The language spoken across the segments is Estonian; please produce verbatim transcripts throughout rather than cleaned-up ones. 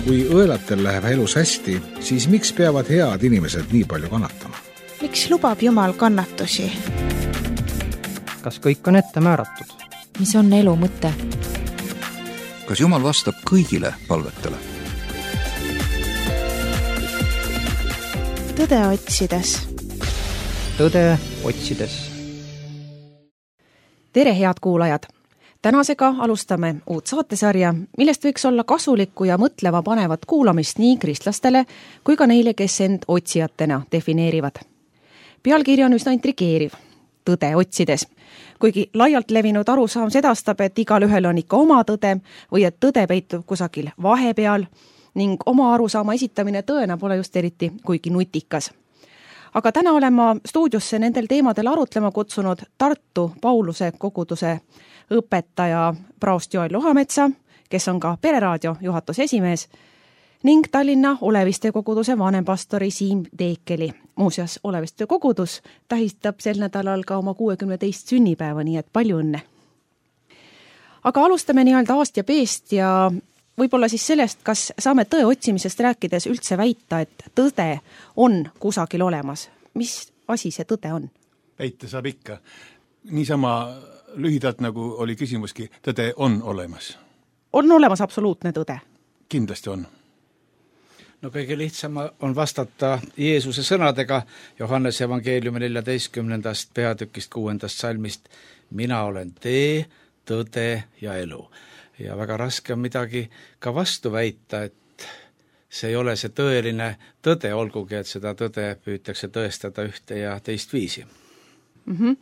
Kui õelatel läheb elus hästi, siis miks peavad head inimesed nii palju kannatama? Miks lubab Jumal kannatusi? Kas kõik on ette määratud? Mis on elu mõte? Kas Jumal vastab kõigile palvetele? Tõde otsides. Tõde otsides. Tere, head kuulajad! Tänasega alustame uut saatesarja, millest võiks olla kasulikku ja mõtlema panevat kuulamist nii kristlastele kui ka neile, kes end otsijatena defineerivad. Pealkiri on üsna intrigeeriv. Tõde otsides. Kuigi laialt levinud arusaam sedastab, et igal ühel on ikka oma tõde või et tõde peitub kusagil vahepeal ning oma arusaama esitamine tõena pole just eriti kuigi nutikas. Aga täna olen ma stuudiosse nendel teemadel arutlema kutsunud Tartu Pauluse koguduse õpetaja praost Joel Lohametsa, kes on ka Pereraadio juhatuse esimees, ning Tallinna Oleviste koguduse vanempastori Siim Teekeli. Muuseas, Oleviste kogudus tähistab sel nädalal ka oma kuuekümne teist sünnipäeva, nii et palju õnne. Aga alustame nii-öelda aast ja peest ja võib-olla siis sellest, kas saame tõe otsimisest rääkides üldse väita, et tõde on kusagil olemas. Mis asi see tõde on? Väita saab ikka. Niisama lühidalt nagu oli küsimuski, tõde on olemas. On olemas absoluutne tõde? Kindlasti on. No kõige lihtsam on vastata Jeesuse sõnadega Johannese evangeeliumi neljateistkümnendast peatükist kuuendast salmist. Mina olen tee, tõde ja elu. Ja väga raske on midagi ka vastu väita, et see ei ole see tõeline tõde, olgugi, et seda tõde püütakse tõestada ühte ja teist viisi. Mm-hmm.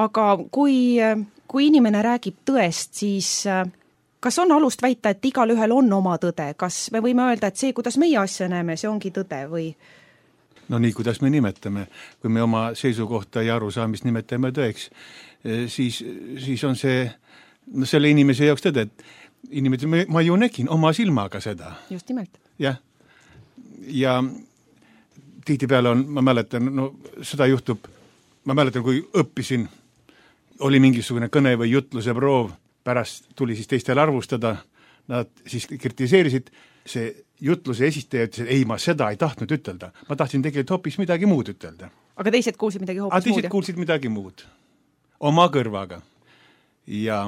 Aga kui, kui inimene räägib tõest, siis kas on alust väita, et igal ühel on oma tõde? Kas me võime öelda, et see, kuidas meie asja näeme, see ongi tõde või? No nii, kuidas me nimetame. Kui me oma seisukohta ja arusaamist nimetame tõeks, siis, siis on see no selle inimese jaoks tõde, et inimene, ma ju nägin oma silmaga seda. Just nimelt. Jah. Ja tihtipeale on, ma mäletan, no seda juhtub, ma mäletan, kui õppisin, oli mingisugune kõne või jutluse proov, pärast tuli siis teistel arvustada, nad siis kritiseerisid, see jutluse esistaja ütles, et ei, ma seda ei tahtnud ütelda. Ma tahtsin tegelikult hoopis midagi muud ütelda. Aga teised kuulsid midagi hoopis muud? Teised muud, kuulsid midagi muud. Oma kõrvaga. Ja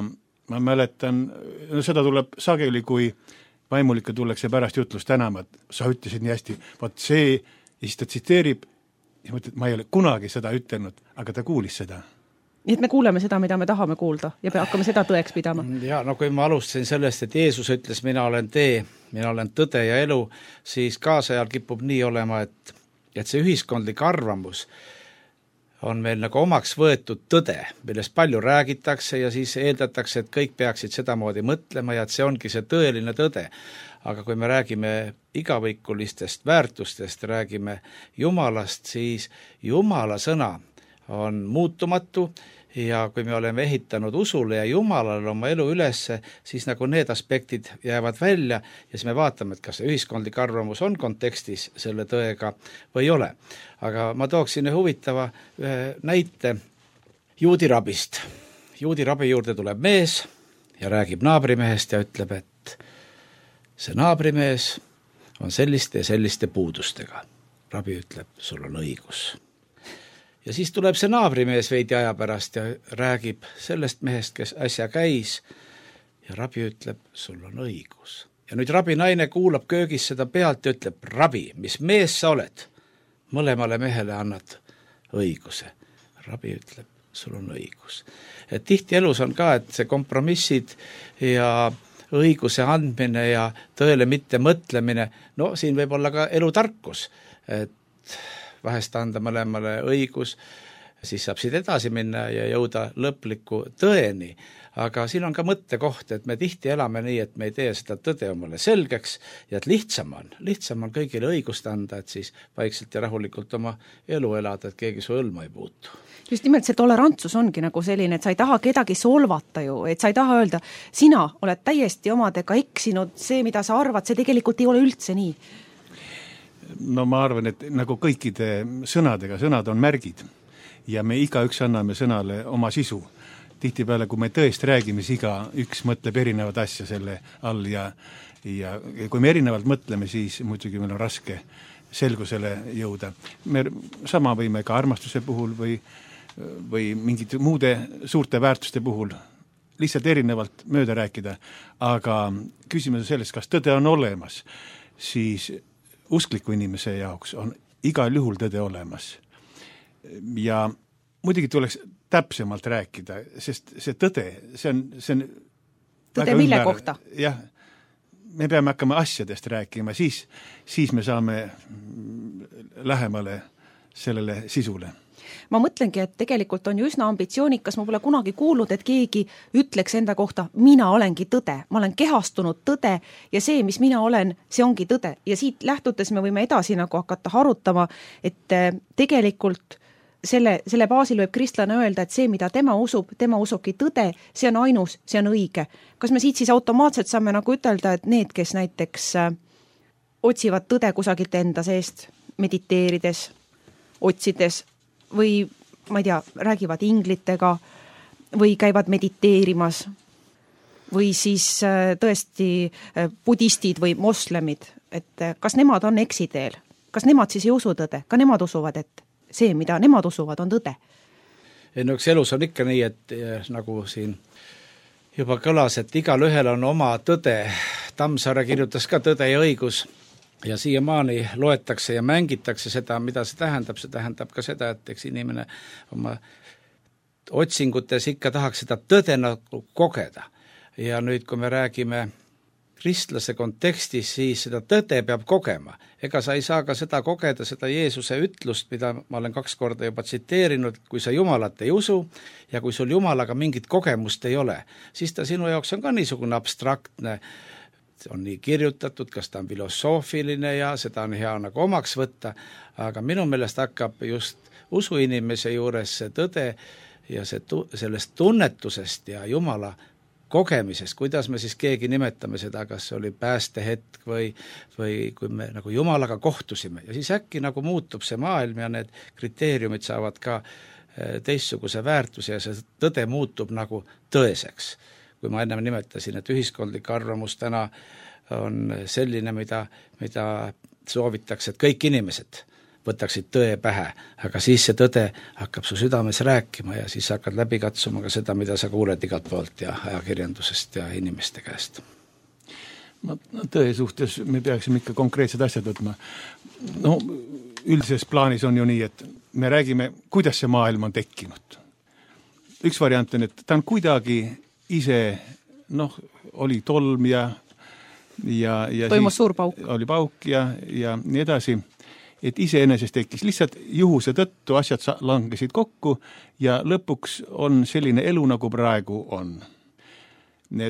ma mäletan, no seda tuleb sageli, kui vaimulike tullakse pärast jutlust tänama, et sa ütlesid nii hästi, vaat see, ja siis ta tsiteerib, ja mõtled, ma ei ole kunagi seda ütelnud, aga ta kuulis seda. Nii et me kuuleme seda, mida me tahame kuulda ja hakkame seda tõeks pidama. Ja no kui ma alustasin sellest, et Jeesus ütles, mina olen tee, mina olen tõde ja elu, siis kaasajal kipub nii olema, et, et see ühiskondlik arvamus on meil nagu omaks võetud tõde, millest palju räägitakse ja siis eeldatakse, et kõik peaksid sedamoodi mõtlema ja et see ongi see tõeline tõde. Aga kui me räägime igavõikulistest väärtustest, räägime Jumalast, siis Jumala sõna on muutumatu ja kui me oleme ehitanud usule ja Jumalale oma elu ülesse, siis nagu need aspektid jäävad välja ja siis me vaatame, et kas see ühiskondlik arvamus on kontekstis selle tõega või ei ole. Aga ma tooksin ühe huvitava ühe näite juudi rabist. Juudi rabi juurde tuleb mees ja räägib naabrimehest ja ütleb, et see naabrimees on selliste ja selliste puudustega. Rabi ütleb, sul on õigus. Ja siis tuleb see naabrimees veidi aja pärast ja räägib sellest mehest, kes äsja käis ja rabi ütleb, sul on õigus. Ja nüüd rabi naine kuulab köögis seda pealt ja ütleb, rabi, mis mees sa oled? Mõlemale mehele annad õiguse. Rabi ütleb, sul on õigus. Et tihti elus on ka, et see kompromissid ja õiguse andmine ja tõele mitte mõtlemine, no siin võib olla ka elutarkus, et vahest anda mõlemale õigus, siis saab siit edasi minna ja jõuda lõpliku tõeni. Aga siin on ka mõttekoht, et me tihti elame nii, et me ei tee seda tõde omale selgeks ja et lihtsam on, lihtsam on kõigile õigust anda, et siis vaikselt ja rahulikult oma elu elada, et keegi su õlma ei puutu. Just nimelt see tolerantsus ongi nagu selline, et sa ei taha kedagi solvata ju, et sa ei taha öelda, sina oled täiesti omadega eksinud, see, mida sa arvad, see tegelikult ei ole üldse nii. No ma arvan, et nagu kõikide sõnadega, sõnad on märgid ja me igaüks anname sõnale oma sisu. Tihtipeale, kui me tõest räägime, siis iga üks mõtleb erinevad asja selle all ja, ja kui me erinevalt mõtleme, siis muidugi meil on raske selgusele jõuda. Me sama võime ka armastuse puhul või, või mingite muude suurte väärtuste puhul lihtsalt erinevalt mööda rääkida, aga küsimus on sellest, kas tõde on olemas, siis uskliku inimese jaoks on igal juhul tõde olemas. Ja muidugi tuleks täpsemalt rääkida, sest see tõde, see on, see on tõde mille ümber, kohta? Jah, me peame hakkama asjadest rääkima, siis, siis me saame lähemale sellele sisule. Ma mõtlengi, et tegelikult on ju üsna ambitsioonikas, ma pole kunagi kuulnud, et keegi ütleks enda kohta, mina olengi tõde, ma olen kehastunud tõde ja see, mis mina olen, see ongi tõde. Ja siit lähtudes me võime edasi nagu hakata harutama, et tegelikult selle, selle baasil võib kristlane öelda, et see, mida tema usub, tema usubki tõde, see on ainus, see on õige. Kas me siit siis automaatselt saame nagu ütelda, et need, kes näiteks otsivad tõde kusagilt enda seest, mediteerides, otsides, või ma ei tea, räägivad inglitega või käivad mediteerimas või siis tõesti budistid või moslemid, et kas nemad on eksiteel, kas nemad siis ei usu tõde, ka nemad usuvad, et see, mida nemad usuvad, on tõde? No üks elus on ikka nii, et nagu siin juba kõlas, et igal ühel on oma tõde. Tammsaare kirjutas ka Tõde ja õigus ja siiamaani loetakse ja mängitakse seda, mida see tähendab, see tähendab ka seda, et eks inimene oma otsingutes ikka tahaks seda tõde nagu kogeda. Ja nüüd, kui me räägime kristlase kontekstis, siis seda tõde peab kogema. Ega sa ei saa ka seda kogeda, seda Jeesuse ütlust, mida ma olen kaks korda juba tsiteerinud, kui sa Jumalat ei usu ja kui sul Jumalaga mingit kogemust ei ole, siis ta sinu jaoks on ka niisugune abstraktne, on nii kirjutatud, kas ta on filosoofiline ja seda on hea nagu omaks võtta, aga minu meelest hakkab just usuinimese juures see tõde ja see tu- sellest tunnetusest ja Jumala kogemisest, kuidas me siis keegi nimetame seda, kas see oli päästehetk või, või kui me nagu Jumalaga kohtusime ja siis äkki nagu muutub see maailm ja need kriteeriumid saavad ka teistsuguse väärtuse ja see tõde muutub nagu tõeseks. Kui ma ennem nimetasin, et ühiskondlik arvamus täna on selline, mida, mida soovitakse, et kõik inimesed võtaksid tõe pähe, aga siis see tõde hakkab su südames rääkima ja siis hakkad läbi katsuma ka seda, mida sa kuuled igalt poolt ja ajakirjandusest ja inimeste käest. No, tõe suhtes me peaksime ikka konkreetsed asjad võtma. No, üldises plaanis on ju nii, et me räägime, kuidas see maailm on tekkinud. Üks variant on, et ta on kuidagi ise, noh, oli tolm ja, ja, ja toimus suur pauk. Oli pauk ja, ja nii edasi, et iseenesest tekkis lihtsalt juhuse tõttu, asjad langesid kokku ja lõpuks on selline elu, nagu praegu on.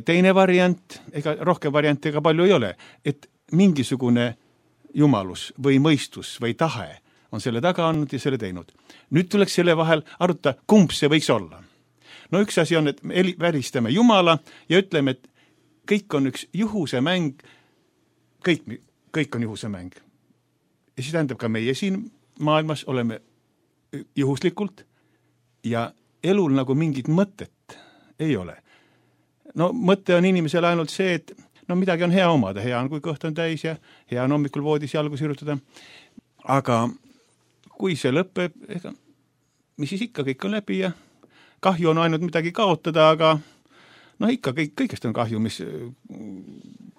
Teine variant, ega rohkem variante ega palju ei ole, et mingisugune jumalus või mõistus või tahe on selle taga andnud ja selle teinud. Nüüd tuleks selle vahel arutada, kumb see võiks olla. No üks asi on, et me välistame Jumala ja ütleme, et kõik on üks juhuse mäng, kõik, kõik on juhuse mäng. Ja siis tähendab ka meie siin maailmas oleme juhuslikult ja elul nagu mingit mõtet ei ole. No mõte on inimesel ainult see, et no midagi on hea omada, hea on, kui kõht on täis ja hea on hommikul voodis jalgu sirutada. Aga kui see lõpeb, ega, mis siis ikka, kõik on läbi ja kahju on ainult midagi kaotada, aga noh, ikka kõik, kõigest on kahju, mis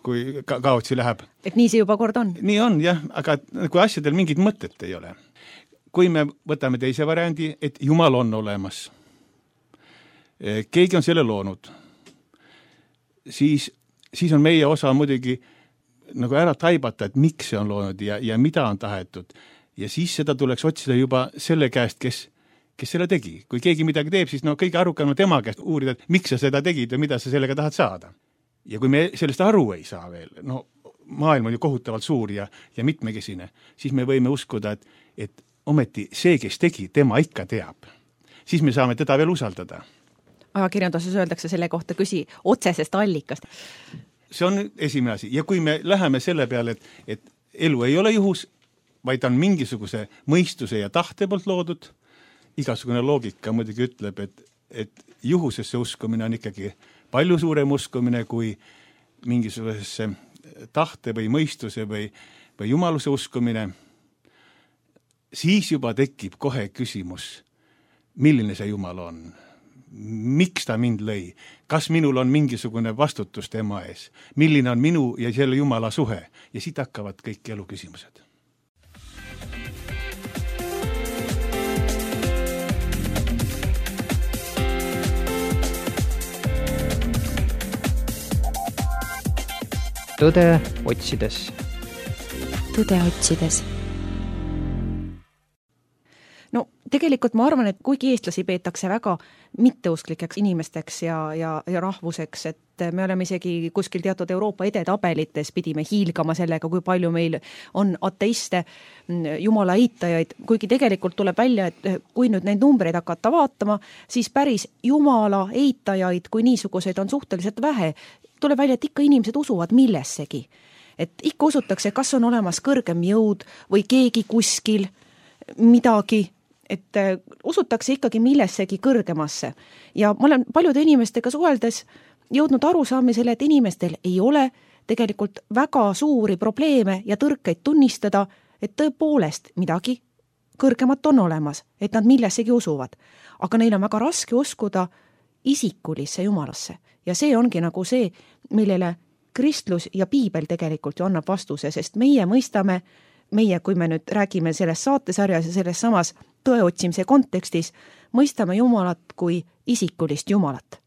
kui ka kaotsi läheb. Et nii see juba kord on? Nii on, jah, aga kui asjadel mingit mõtet ei ole. Kui me võtame teise variandi, et Jumal on olemas, keegi on selle loonud, siis, siis on meie osa muidugi nagu ära taibata, et miks see on loonud ja, ja mida on tahetud. Ja siis seda tuleks otsida juba selle käest, kes kes selle tegi. Kui keegi midagi teeb, siis no kõige arukam on tema käest uurida, et miks sa seda tegid ja mida sa sellega tahad saada. Ja kui me sellest aru ei saa veel, no maailm on ju kohutavalt suur ja, ja mitmekesine, siis me võime uskuda, et, et ometi see, kes tegi, tema ikka teab. Siis me saame teda veel usaldada. Ajakirjanduses öeldakse selle kohta küsi otsesest allikast. See on esimene asi. Ja kui me läheme selle peale, et, et elu ei ole juhus, vaid on mingisuguse mõistuse ja tahte poolt loodud, igasugune loogika muidugi ütleb, et, et juhusesse uskumine on ikkagi palju suurem uskumine kui mingisugusesse tahte või mõistuse või, või jumaluse uskumine, siis juba tekib kohe küsimus, milline see Jumal on, miks ta mind lõi, kas minul on mingisugune vastutus tema ees, milline on minu ja selle Jumala suhe ja siit hakkavad kõik elu küsimused. Tõde otsides. Tõde otsides. No tegelikult ma arvan, et kuigi eestlasi peetakse väga mitteusklikeks inimesteks ja, ja, ja rahvuseks, et me oleme isegi kuskil teatud Euroopa edetabelites pidime hiilgama sellega, kui palju meil on ateiste, jumala eitajaid, kuigi tegelikult tuleb välja, et kui nüüd neid numbreid hakata vaatama, siis päris jumala eitajaid kui niisuguseid on suhteliselt vähe. Tuleb välja, et ikka inimesed usuvad millessegi. Et ikka usutakse, kas on olemas kõrgem jõud või keegi kuskil midagi, et usutakse ikkagi millessegi kõrgemasse. Ja ma olen paljude inimestega suheldes jõudnud arusaamisele, et inimestel ei ole tegelikult väga suuri probleeme ja tõrkeid tunnistada, et tõepoolest midagi kõrgemat on olemas, et nad millessegi usuvad. Aga neil on väga raske uskuda isikulisse jumalasse. Ja see ongi nagu see, millele kristlus ja piibel tegelikult ju annab vastuse, sest meie mõistame, meie, kui me nüüd räägime selles saatesarjas ja selles samas tõeotsimise kontekstis, mõistame Jumalat kui isikulist Jumalat.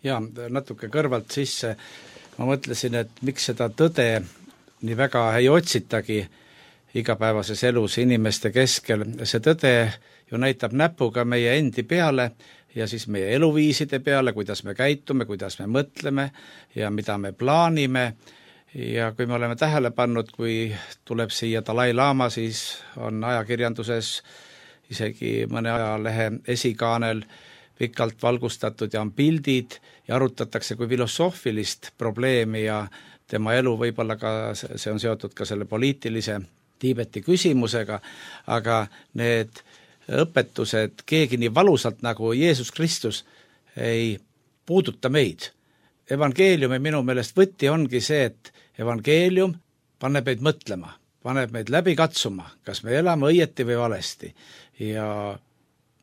Ja natuke kõrvalt sisse ma mõtlesin, et miks seda tõde nii väga ei otsitagi igapäevases elus inimeste keskel. See tõde ju näitab näpuga meie endi peale ja siis meie eluviiside peale, kuidas me käitume, kuidas me mõtleme ja mida me plaanime. Ja kui me oleme tähele pannud, kui tuleb siia Dalai Lama, siis on ajakirjanduses isegi mõne ajalehe esikaanel pikalt valgustatud ja on pildid ja arutatakse kui filosoofilist probleemi ja tema elu võib-olla ka, see on seotud ka selle poliitilise Tiibeti küsimusega, aga need õpetused keegi nii valusalt nagu Jeesus Kristus ei puuduta meid. Evangeeliumi minu meelest võti ongi see, et evangeelium paneb meid mõtlema, paneb meid läbi katsuma, kas me elame õieti või valesti. Ja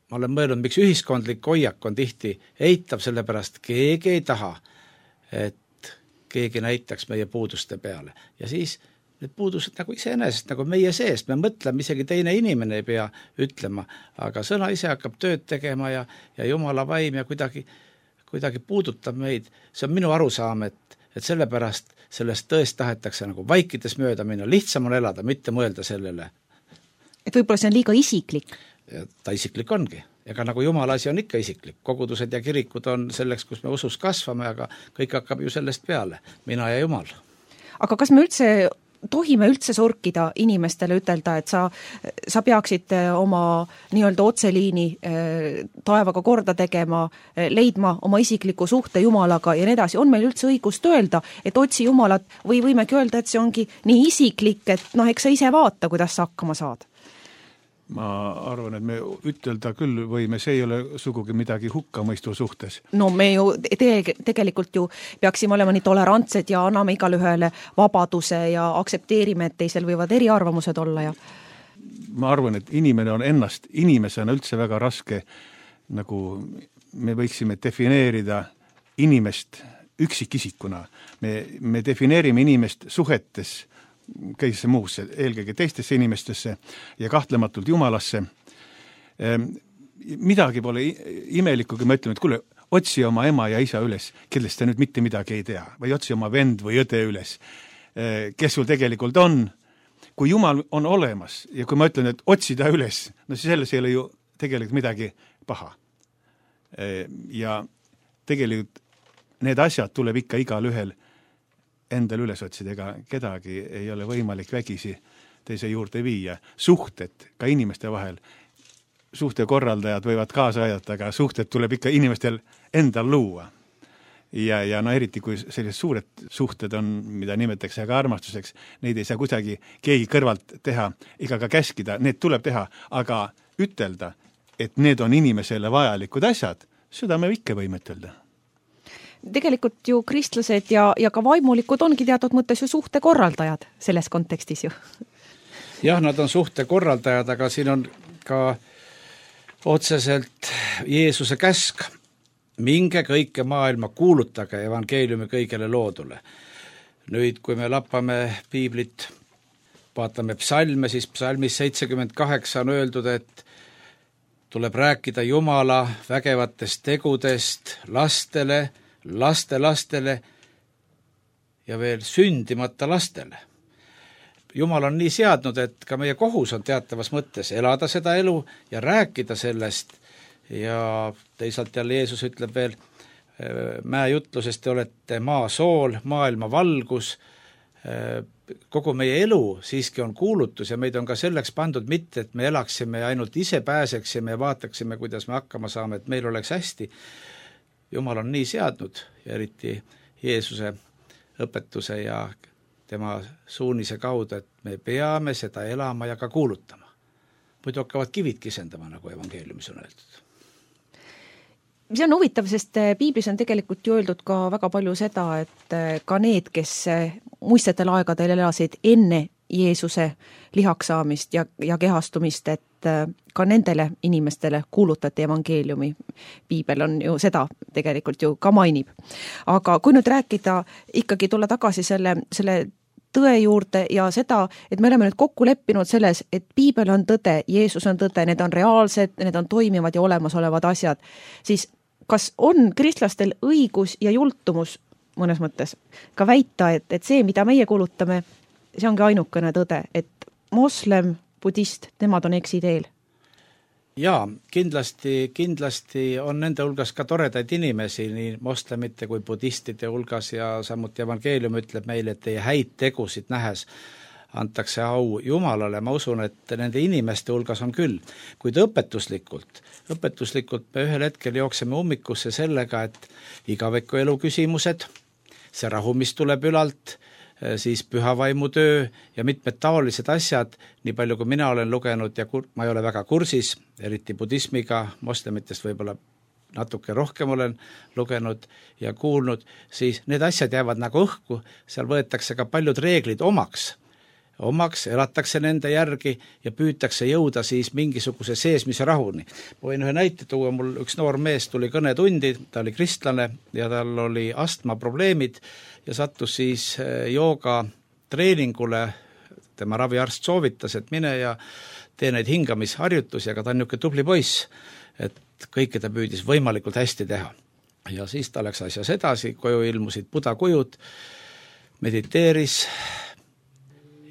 ma olen mõelnud, miks ühiskondlik hoiak on tihti eitav, sellepärast keegi ei taha, et keegi näitaks meie puuduste peale. Ja siis need puudused nagu iseenesest, nagu meie seest, me mõtleme, isegi teine inimene ei pea ütlema, aga sõna ise hakkab tööd tegema ja, ja Jumala vaim ja kuidagi, kuidagi puudutab meid. See on minu arusaam, et, et sellepärast sellest tõest tahetakse nagu vaikides mööda minna, lihtsam on elada, mitte mõelda sellele. Et võib-olla see on liiga isiklik? Ja ta isiklik ongi. Ega nagu Jumala asi on ikka isiklik. Kogudused ja kirikud on selleks, kus me usus kasvame, aga kõik hakkab ju sellest peale. Mina ja Jumal. Aga kas me üldse tohime üldse sorkida inimestele ütelda, et sa, sa peaksid oma nii-öelda otseliini taevaga korda tegema, leidma oma isikliku suhte Jumalaga ja nii edasi. On meil üldse õigust öelda, et otsi Jumalat või võimegi öelda, et see ongi nii isiklik, et noh, eks sa ise vaata, kuidas sa hakkama saad? Ma arvan, et me ütelda küll võime, see ei ole sugugi midagi hukkamõistu suhtes. No me ju te- tegelikult ju peaksime olema nii tolerantsed ja anname igale ühele vabaduse ja aksepteerime, et teisel võivad eriarvamused olla. Ja... Ma arvan, et inimene on ennast inimesena üldse väga raske, nagu me võiksime defineerida inimest üksikisikuna. Me, me defineerime inimest suhetes kõigisse muusse, eelkõige teistesse inimestesse ja kahtlematult Jumalasse. Midagi pole imelikku, kui me ütleme, et kuule, otsi oma ema ja isa üles, kellest te nüüd mitte midagi ei tea, või otsi oma vend või õde üles, kes sul tegelikult on. Kui Jumal on olemas ja kui ma ütlen, et otsi ta üles, no siis selles ei ole ju tegelikult midagi paha. Ja tegelikult need asjad tuleb ikka igal ühel endal üles otsida, ega kedagi ei ole võimalik vägisi teise juurde viia. Suhted ka inimeste vahel, suhtekorraldajad võivad kaasa aidata, aga suhted tuleb ikka inimestel endal luua. Ja, ja no eriti, kui sellised suured suhted on, mida nimetatakse aga armastuseks, neid ei saa kuidagi keegi kõrvalt teha, ega ka käskida, need tuleb teha, aga ütelda, et need on inimesele vajalikud asjad, seda me ikka võime ütelda. tegelikult ju kristlased ja, ja ka vaimulikud ongi teatud mõttes ju suhtekorraldajad selles kontekstis ju. Jah, nad on suhtekorraldajad, aga siin on ka otseselt Jeesuse käsk. Minge kõike maailma, kuulutage evangeeliumi kõigele loodule. Nüüd, kui me lappame piiblit, vaatame psalme, siis psalmis seitsekümmend kaheksa on öeldud, et tuleb rääkida Jumala vägevatest tegudest lastele, laste lastele ja veel sündimata lastele. Jumal on nii seadnud, et ka meie kohus on teatavas mõttes elada seda elu ja rääkida sellest ja teisalt jälle Jeesus ütleb veel mäejutlusest, te olete maa sool, maailma valgus, kogu meie elu siiski on kuulutus ja meid on ka selleks pandud mitte, et me elaksime ja ainult ise pääseksime ja vaataksime, kuidas me hakkama saame, et meil oleks hästi. Jumal on nii seadnud ja eriti Jeesuse õpetuse ja tema suunise kaudu, et me peame seda elama ja ka kuulutama. Muidu hakkavad kivid kisendama, nagu evangeeliumis on öeldud. See on huvitav, sest piiblis on tegelikult ju öeldud ka väga palju seda, et ka need, kes muistetel aegadel elasid enne Jeesuse lihaks saamist ja, ja kehastumist, et ka nendele inimestele kuulutati evangeeliumi. Piibel on ju seda tegelikult ju ka mainib. Aga kui nüüd rääkida, ikkagi tulla tagasi selle, selle tõe juurde ja seda, et me oleme nüüd kokku leppinud selles, et piibel on tõde, Jeesus on tõde, need on reaalsed, need on toimivad ja olemasolevad asjad, siis kas on kristlastel õigus ja jultumus mõnes mõttes ka väita, et, et see, mida meie kuulutame, see ongi ainukene tõde, et moslem, budist, nemad on eksiteel? Jaa, kindlasti, kindlasti on nende hulgas ka toredaid inimesi, nii moslemite kui budistide hulgas ja samuti evangeelium ütleb meile, et teie häid tegusid nähes antakse au Jumalale, ma usun, et nende inimeste hulgas on küll, kuid õpetuslikult, õpetuslikult me ühel hetkel jookseme ummikusse sellega, et igaviku elu küsimused, see rahu, mis tuleb ülalt, siis pühavaimu töö ja mitmed taolised asjad, nii palju kui mina olen lugenud ja kur, ma ei ole väga kursis, eriti budismiga, moslemitest võib-olla natuke rohkem olen lugenud ja kuulnud, siis need asjad jäävad nagu õhku, seal võetakse ka paljud reeglid omaks, omaks, elatakse nende järgi ja püütakse jõuda siis mingisuguse seesmise rahuni. Ma võin ühe näite tuua, mul üks noor mees tuli kõnetundi, ta oli kristlane ja tal oli astma probleemid ja sattus siis jooga treeningule, tema raviarst soovitas, et mine ja tee neid hingamisharjutusi, aga ta on niisugune tubli poiss, et kõike ta püüdis võimalikult hästi teha. Ja siis ta läks asjas edasi, koju ilmusid budakujud, mediteeris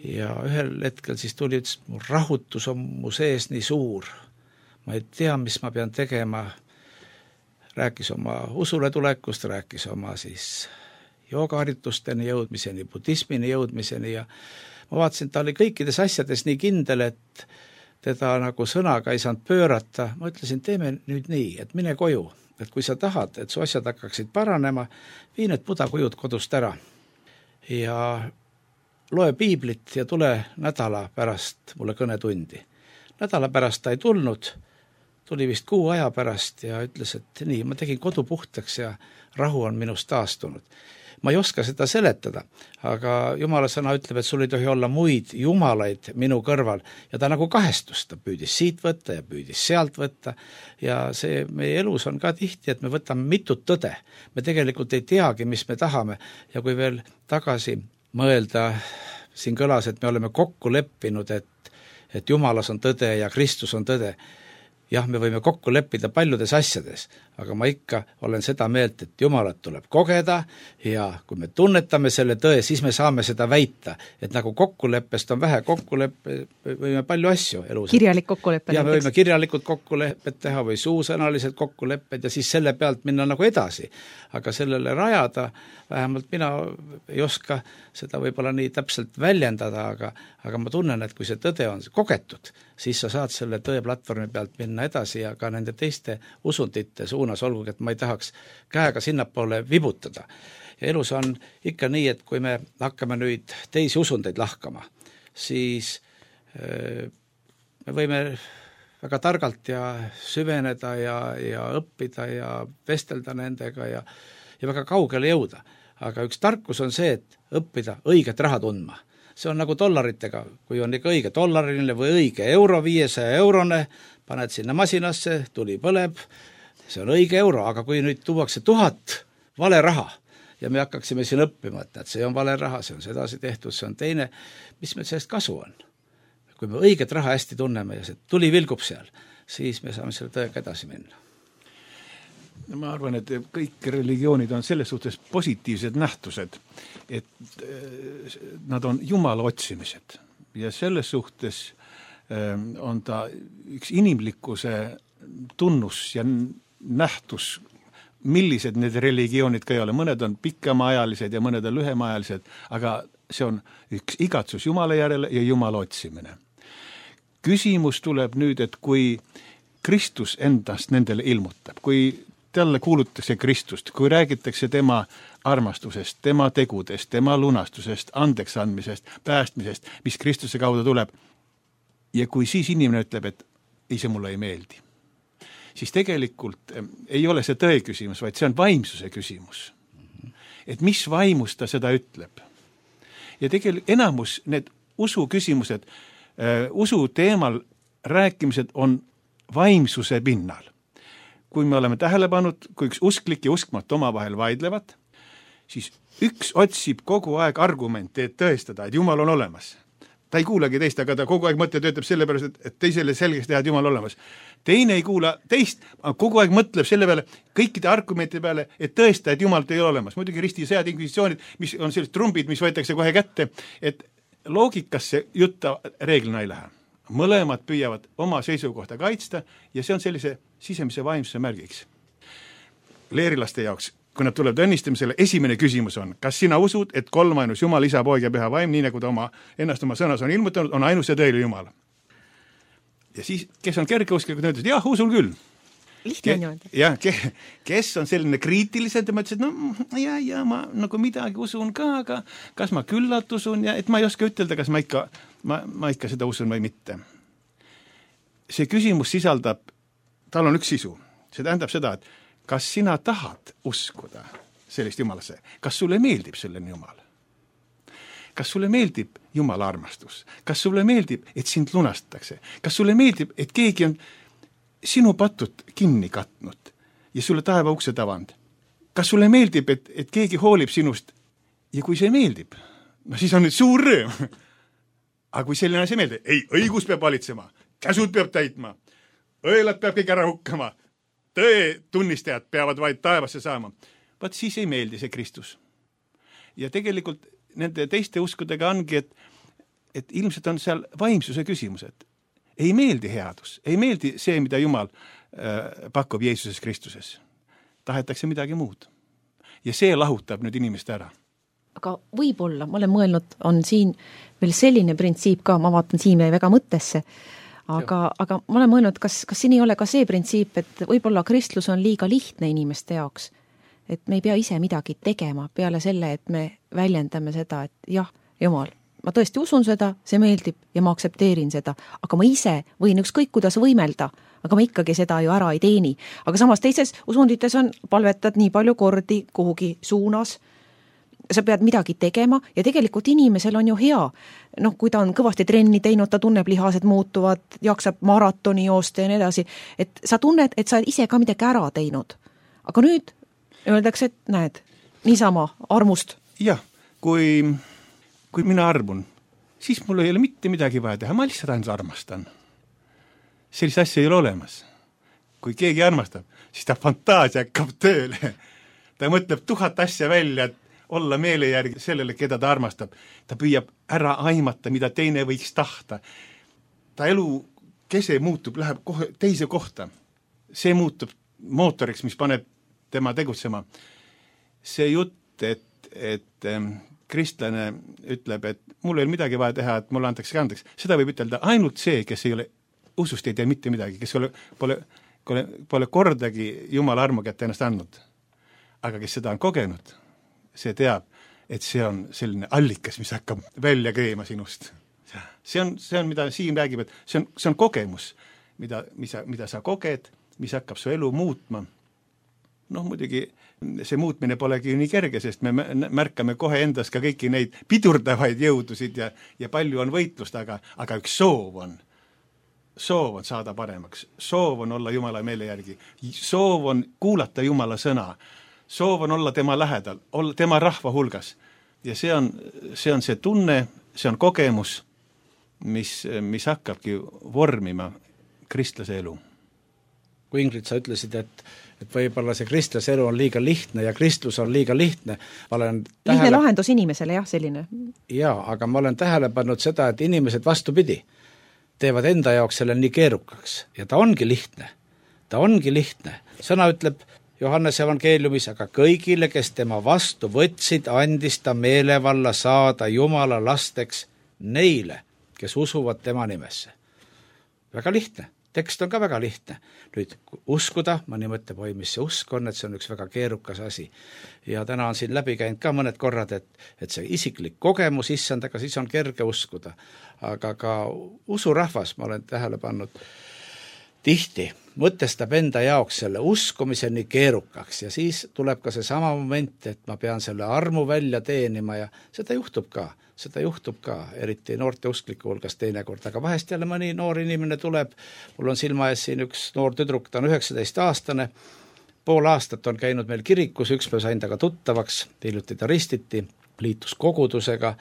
ja ühel hetkel siis tuli, ütles, mu rahutus on mu sees nii suur. Ma ei tea, mis ma pean tegema. Rääkis oma usule tulekust, rääkis oma siis joogaharjutusteni jõudmiseni, budismini jõudmiseni ja ma vaatasin, ta oli kõikides asjades nii kindel, et teda nagu sõnaga ei saanud pöörata. Ma ütlesin, teeme nüüd nii, et mine koju, et kui sa tahad, et su asjad hakkaksid paranema, vii need budakujud kodust ära ja loe piiblit ja tule nädala pärast mulle kõnetundi. Nädala pärast ta ei tulnud, tuli vist kuu aja pärast ja ütles, et nii, ma tegin kodu puhtaks ja rahu on minust taastunud. Ma ei oska seda seletada, aga Jumala sõna ütleb, et sul ei tohi olla muid jumalaid minu kõrval ja ta nagu kahestus, ta püüdis siit võtta ja püüdis sealt võtta ja see meie elus on ka tihti, et me võtame mitut tõde. Me tegelikult ei teagi, mis me tahame ja kui veel tagasi mõelda, siin kõlas, et me oleme kokku leppinud, et, et Jumalas on tõde ja Kristus on tõde. Jah, me võime kokku leppida paljudes asjades, aga ma ikka olen seda meelt, et Jumalat tuleb kogeda ja kui me tunnetame selle tõe, siis me saame seda väita, et nagu kokkuleppest on vähe, kokkuleppe võime palju asju elus. Kirjalik kokkuleppe. Ja me võime kirjalikud kokkulepped teha või suusõnalised kokkulepped ja siis selle pealt minna nagu edasi. Aga sellele rajada, vähemalt mina ei oska seda võib-olla nii täpselt väljendada, aga, aga ma tunnen, et kui see tõde on kogetud, siis sa saad selle tõe platvormi pealt minna edasi ja ka nende teiste usundite suunas, olgugi, et ma ei tahaks käega sinnapoole vibutada. Ja elus on ikka nii, et kui me hakkame nüüd teisi usundeid lahkama, siis me võime väga targalt ja süveneda ja, ja õppida ja vestelda nendega ja, ja väga kaugele jõuda. Aga üks tarkus on see, et õppida õiget raha tundma. See on nagu dollaritega, kui on ikka õige dollariline või õige euro, viiesaja eurone, paned sinna masinasse, tuli põleb, see on õige euro, aga kui nüüd tuuakse tuhat vale raha ja me hakkaksime siin õppima, et see on vale raha, see on sedasi tehtud, see on teine, mis meil sellest kasu on? Kui me õiget raha hästi tunneme ja see tuli vilgub seal, siis me saame selle tõega edasi minna. Ma arvan, et kõik religioonid on selles suhtes positiivsed nähtused, et nad on Jumala otsimised ja selles suhtes on ta üks inimlikkuse tunnus ja nähtus, millised need religioonid ka ei ole. Mõned on pikemaajalised ja mõned on lühemaajalised, aga see on üks igatsus Jumala järele ja Jumala otsimine. Küsimus tuleb nüüd, et kui Kristus endast nendele ilmutab, kui talle kuulutakse Kristust, kui räägitakse tema armastusest, tema tegudest, tema lunastusest, andeks andmisest, päästmisest, mis Kristuse kaudu tuleb, ja kui siis inimene ütleb, et ei, see mulle ei meeldi, siis tegelikult ei ole see tõe küsimus, vaid see on vaimsuse küsimus. Et mis vaimus ta seda ütleb. Ja tegelikult enamus need usu küsimused, usu teemal rääkimised on vaimsuse pinnal. Kui me oleme tähele pannud, kui üks usklik ja uskmatu omavahel vaidlevad, siis üks otsib kogu aeg argumente, et tõestada, et Jumal on olemas. Ta ei kuulegi teist, aga ta kogu aeg mõtle töötab selle pärast, et teisele selgeks teha, et Jumal olemas. Teine ei kuula teist, kogu aeg mõtleb selle peale, kõikide argumente peale, et tõesta, et Jumal ei ole olemas. Muidugi risti sõjad inkvisitsioonid, mis on sellised trumbid, mis võetakse kohe kätte, et loogikasse jutta reeglina ei lähe. Mõlemad püüavad oma seisukohta kaitsta ja see on sellise sisemise vaimsuse märgiks. Leerilaste jaoks, kui nad tulevad õnnistamisele, esimene küsimus on, kas sina usud, et kolmainus Jumal, Isa, Poeg ja Püha Vaim, nii nagu ta oma, ennast oma sõnas on ilmutanud, on ainus ja tõeline Jumal. Ja siis, kes on kergeusklikud, ütles, et jah, usul küll. Lihtne on ju. Jah, ke, kes on selline kriitilised ja ma ütlesin, et no ja, ja ma nagu midagi usun ka, aga kas ma küllalt usun ja et ma ei oska ütelda, kas ma ikka, ma, ma ikka seda usun või mitte. See küsimus sisaldab, tal on üks sisu. See tähendab seda, et kas sina tahad uskuda sellist Jumalasse? Kas sulle meeldib selline Jumal? Kas sulle meeldib Jumala armastus? Kas sulle meeldib, et sind lunastatakse? Kas sulle meeldib, et keegi on sinu patud kinni katnud ja sulle taeva ukse tavand? Kas sulle meeldib, et, et keegi hoolib sinust? Ja kui see meeldib, no siis on nüüd suur rõõm. Aga kui selline asi meeldib, ei, õigus peab valitsema, käsud peab täitma, õelad peab kõik ära hukkama, tõe tunnistajad peavad vaid taevasse saama. Vaat siis ei meeldi see Kristus. Ja tegelikult nende teiste uskudega ongi, et, et ilmselt on seal vaimsuse küsimused. Ei meeldi headus, ei meeldi see, mida Jumal äh, pakub Jeesuses Kristuses. Tahetakse midagi muud. Ja see lahutab nüüd inimest ära. Aga võib-olla, ma olen mõelnud, on siin veel selline printsiip ka, ma vaatan siin väga mõttesse, aga, aga ma olen mõelnud, kas, kas siin ei ole ka see printsiip, et võib-olla kristlus on liiga lihtne inimeste jaoks, et me ei pea ise midagi tegema peale selle, et me väljendame seda, et jah, Jumal, ma tõesti usun seda, see meeldib ja ma aktsepteerin seda, aga ma ise võin ükskõik kuidas võimelda, aga ma ikkagi seda ju ära ei teeni. Aga samas teises usundites on palvetad nii palju kordi kuhugi suunas, sa pead midagi tegema ja tegelikult inimesel on ju hea. Noh, kui ta on kõvasti trenni teinud, ta tunneb lihased muutuvad, jaksab maratoni joosta ja nii edasi, et sa tunned, et sa ise ka midagi ära teinud. Aga nüüd öeldakse, et näed, niisama armust. Jah, kui... kui mina armun, siis mul ei ole mitte midagi vaja teha, ma lihtsalt ainult armastan. Sellist asja ei ole olemas. Kui keegi armastab, siis ta fantaasia hakkab tööle. Ta mõtleb tuhat asja välja, et olla meele järgi sellele, keda ta armastab. Ta püüab ära aimata, mida teine võiks tahta. Ta elu kese muutub, läheb kohe teise kohta. See muutub mootoriks, mis paneb tema tegutsema. See jutt, et, et kristlane ütleb, et mul ei ole midagi vaja teha, et mulle antakse andeks. Seda võib ütelda ainult see, kes ei ole usust ei tea mitte midagi, kes ole, pole, pole, pole kordagi Jumala armu kätte ennast andnud. Aga kes seda on kogenud, see teab, et see on selline allikas, mis hakkab välja kreema sinust. See on, see on, mida Siim räägib, et see on, see on kogemus, mida, mida, mida sa koged, mis hakkab su elu muutma. noh muidugi see muutmine polegi nii kerge, sest me märkame kohe endas ka kõiki neid pidurdavaid jõudusid ja, ja palju on võitlust, aga, aga üks soov on, soov on saada paremaks, soov on olla Jumala meele järgi, soov on kuulata Jumala sõna, soov on olla tema lähedal, olla tema rahva hulgas ja see on see, on see tunne, see on kogemus, mis, mis hakkabki vormima kristlase elu. Kui Ingrid, sa ütlesid, et, et võib-olla see kristlase elu on liiga lihtne ja kristlus on liiga lihtne. Ma olen tähele... Lihtne lahendus inimesele, jah, selline. Jaa, aga ma olen tähele pannud seda, et inimesed vastupidi teevad enda jaoks selle nii keerukaks ja ta ongi lihtne. Ta ongi lihtne. Sõna ütleb Johannese evangeeliumis, aga kõigile, kes tema vastu võtsid, andis ta meelevalla saada Jumala lasteks neile, kes usuvad tema nimesse. Väga lihtne. Tekst on ka väga lihtne. Nüüd uskuda, ma nii mõtleb, oi, mis see usk on, et see on üks väga keerukas asi. Ja täna on siin läbi käinud ka mõned korrad, et, et see isiklik kogemus issandaga, siis on kerge uskuda. Aga ka usurahvas, ma olen tähele pannud, tihti mõtestab enda jaoks selle uskumise nii keerukaks ja siis tuleb ka see sama moment, et ma pean selle armu välja teenima ja seda juhtub ka. Seda juhtub ka, eriti noorte uskliku hulgas teinekord, aga vahest jälle mõni noor inimene tuleb, mul on silma ees siin üks noor tüdruk, ta on üheksateist aastane, pool aastat on käinud meil kirikus, üks päev sain taga tuttavaks, hiljuti ta ristiti, liitus kogudusega,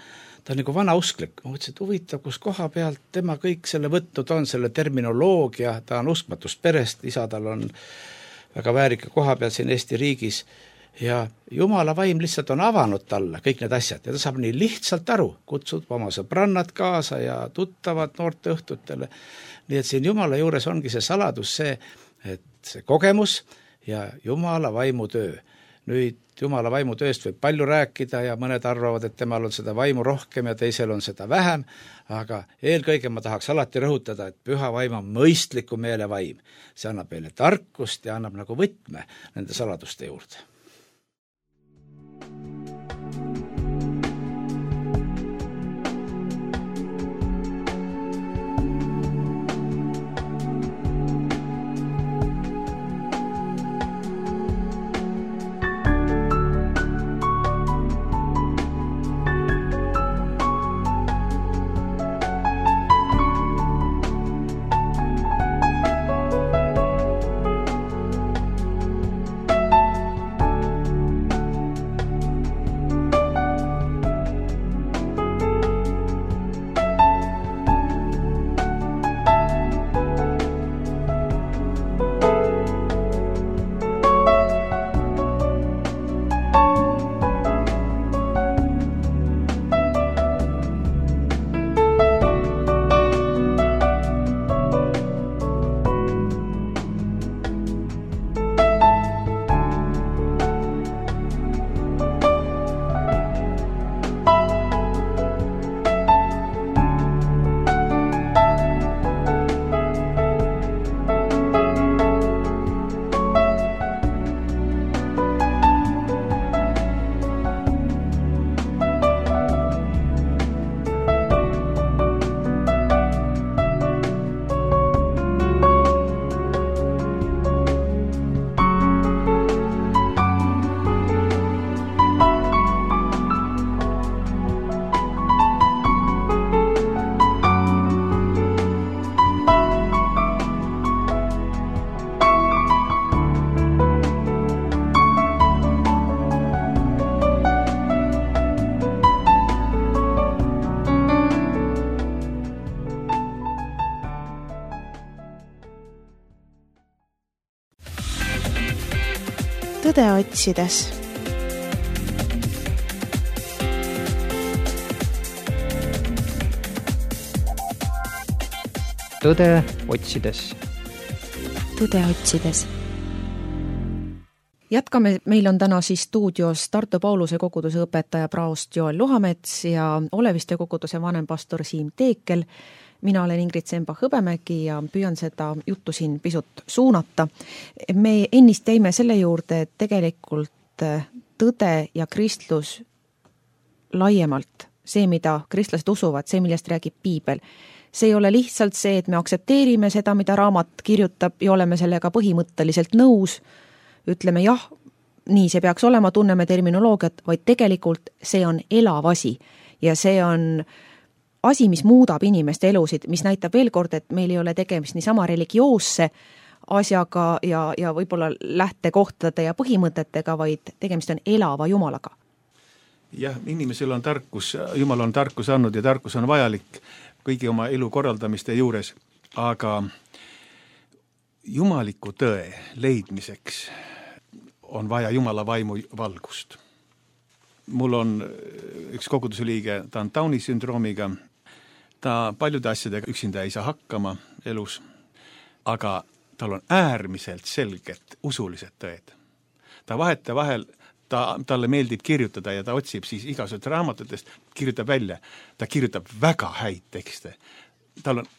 ta on nagu vana usklik, ma mõtlesin, et huvitav, kus koha pealt tema kõik selle võtnud on, selle terminoloogia, ta on uskmatust perest, isa tal on väga väärika koha peal siin Eesti riigis, ja Jumala vaim lihtsalt on avanud talle kõik need asjad ja ta saab nii lihtsalt aru, kutsud oma sõbrannad kaasa ja tuttavad noorte õhtutele. Nii et siin Jumala juures ongi see saladus see, et see kogemus ja Jumala vaimu töö. Nüüd Jumala vaimu tööst võib palju rääkida ja mõned arvavad, et temal on seda vaimu rohkem ja teisel on seda vähem, aga eelkõige ma tahaks alati rõhutada, et püha vaim on mõistliku meele vaim. See annab meile tarkust ja annab nagu võtme nende saladuste juurde. Tõde otsides. Tõde otsides. Tõde otsides. Jätkame, meil on täna siis stuudios Tartu Pauluse koguduse õpetaja praost Joel Luhamets ja Oleviste koguduse vanempastor Siim Teekel. Mina olen Ingrid Semba-Hõbemägi ja püüan seda juttu siin pisut suunata. Me ennist jäime selle juurde, et tegelikult tõde ja kristlus laiemalt, see, mida kristlased usuvad, see, millest räägib piibel, see ei ole lihtsalt see, et me aktsepteerime seda, mida raamat kirjutab ja oleme sellega põhimõtteliselt nõus, ütleme jah, nii see peaks olema, tunneme terminoloogiat, vaid tegelikult see on elav asi ja see on asi, mis muudab inimeste elusid, mis näitab veel kord, et meil ei ole tegemist niisama religioosse asjaga ja, ja võib-olla lähtekohtade ja põhimõtetega, vaid tegemist on elava Jumalaga. Jah, inimesel on tarkus, Jumal on tarkus andnud ja tarkus on vajalik kõigi oma elu korraldamiste juures, aga jumaliku tõe leidmiseks on vaja Jumala vaimu valgust. Mul on üks koguduse liige, ta on Downi sündroomiga, ta paljude asjadega üksinda ei saa hakkama elus, aga tal on äärmiselt selged usulised tõed. Ta vaheta vahel, ta, talle meeldib kirjutada ja ta otsib siis igasugused raamatutest, kirjutab välja, ta kirjutab väga häid tekste. Tal on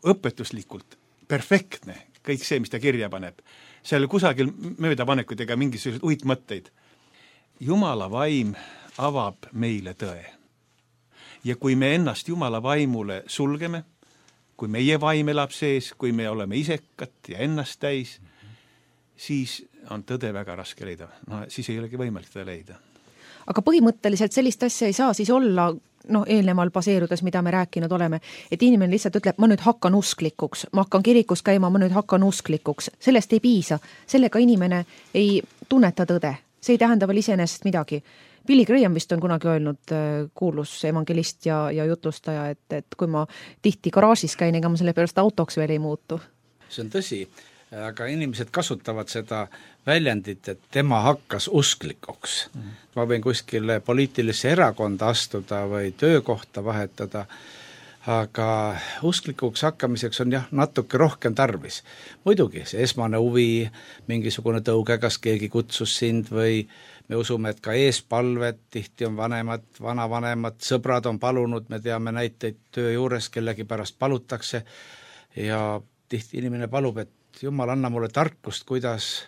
õpetuslikult perfektne kõik see, mis ta kirja paneb. Seal kusagil möödapanekuid ega mingisugused uitmõtteid. Jumala vaim avab meile tõe. Ja kui me ennast Jumala vaimule sulgeme, kui meie vaim elab sees, kui me oleme isekad ja ennast täis, siis on tõde väga raske leida. No, siis ei olegi võimalik tõde leida. Aga põhimõtteliselt sellist asja ei saa siis olla, noh, eelneval baseerudes, mida me rääkinud oleme, et inimene lihtsalt ütleb, ma nüüd hakkan usklikuks, ma hakkan kirikus käima, ma nüüd hakkan usklikuks. Sellest ei piisa. Sellega inimene ei tunneta tõde. See ei tähenda veel iseenesest midagi. Billy Graham vist on kunagi öelnud, kuulus evangelist ja, ja jutlustaja, et, et kui ma tihti garaažis käin, ega ma selle pärast autoks veel ei muutu. See on tõsi, aga inimesed kasutavad seda väljendit, et tema hakkas usklikuks. Mm. Ma võin kuskile poliitilisse erakonda astuda või töökohta vahetada, aga usklikuks hakkamiseks on jah natuke rohkem tarvis. Muidugi, see esmane huvi, mingisugune tõuge, kas keegi kutsus sind või me usume, et ka eespalved, tihti on vanemad, vanavanemad, sõbrad on palunud, me teame näiteid töö juures, kellegi pärast palutakse ja tihti inimene palub, et Jumal, anna mulle tarkust, kuidas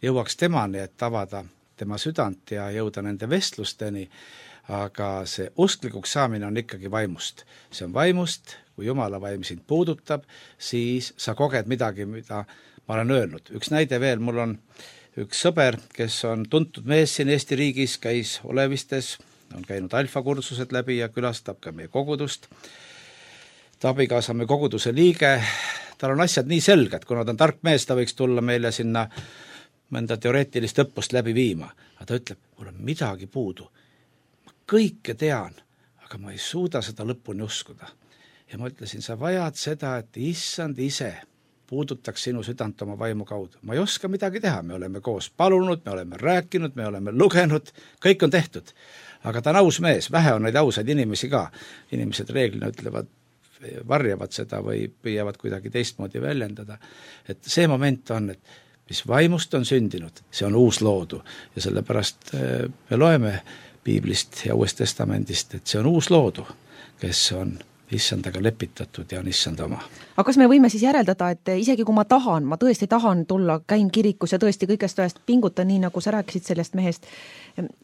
jõuaks temani, et avada tema südant ja jõuda nende vestlusteni, aga see usklikuks saamine on ikkagi vaimust. See on vaimust, kui Jumala vaim sind puudutab, siis sa koged midagi, mida ma olen öelnud. Üks näide veel, mul on üks sõber, kes on tuntud mees siin Eesti riigis, käis Olevistes, on käinud alfakursused läbi ja külastab ka meie kogudust. Ta abikaasa on meie koguduse liige, tal on asjad nii selged, kuna ta on tark mees, ta võiks tulla meile sinna mõnda teoreetilist õppust läbi viima. Aga ta ütleb, mul on midagi puudu. Ma kõike tean, aga ma ei suuda seda lõpuni uskuda. Ja ma ütlesin, sa vajad seda, et issand ise puudutaks sinu südant oma vaimu kaudu. Ma ei oska midagi teha, me oleme koos palunud, me oleme rääkinud, me oleme lugenud, kõik on tehtud. Aga ta on aus mees, vähe on neid ausaid inimesi ka. Inimesed reeglina ütlevad, varjavad seda või püüavad kuidagi teistmoodi väljendada. Et see moment on, et mis vaimust on sündinud, see on uus loodu ja sellepärast me loeme Piiblist ja Uuest Testamendist, et see on uus loodu, kes on issandaga lepitatud ja on issand oma. Aga kas me võime siis järeldada, et isegi kui ma tahan, ma tõesti tahan tulla, käin kirikus ja tõesti kõigest ajast pingutan, nii nagu sa rääkisid sellest mehest,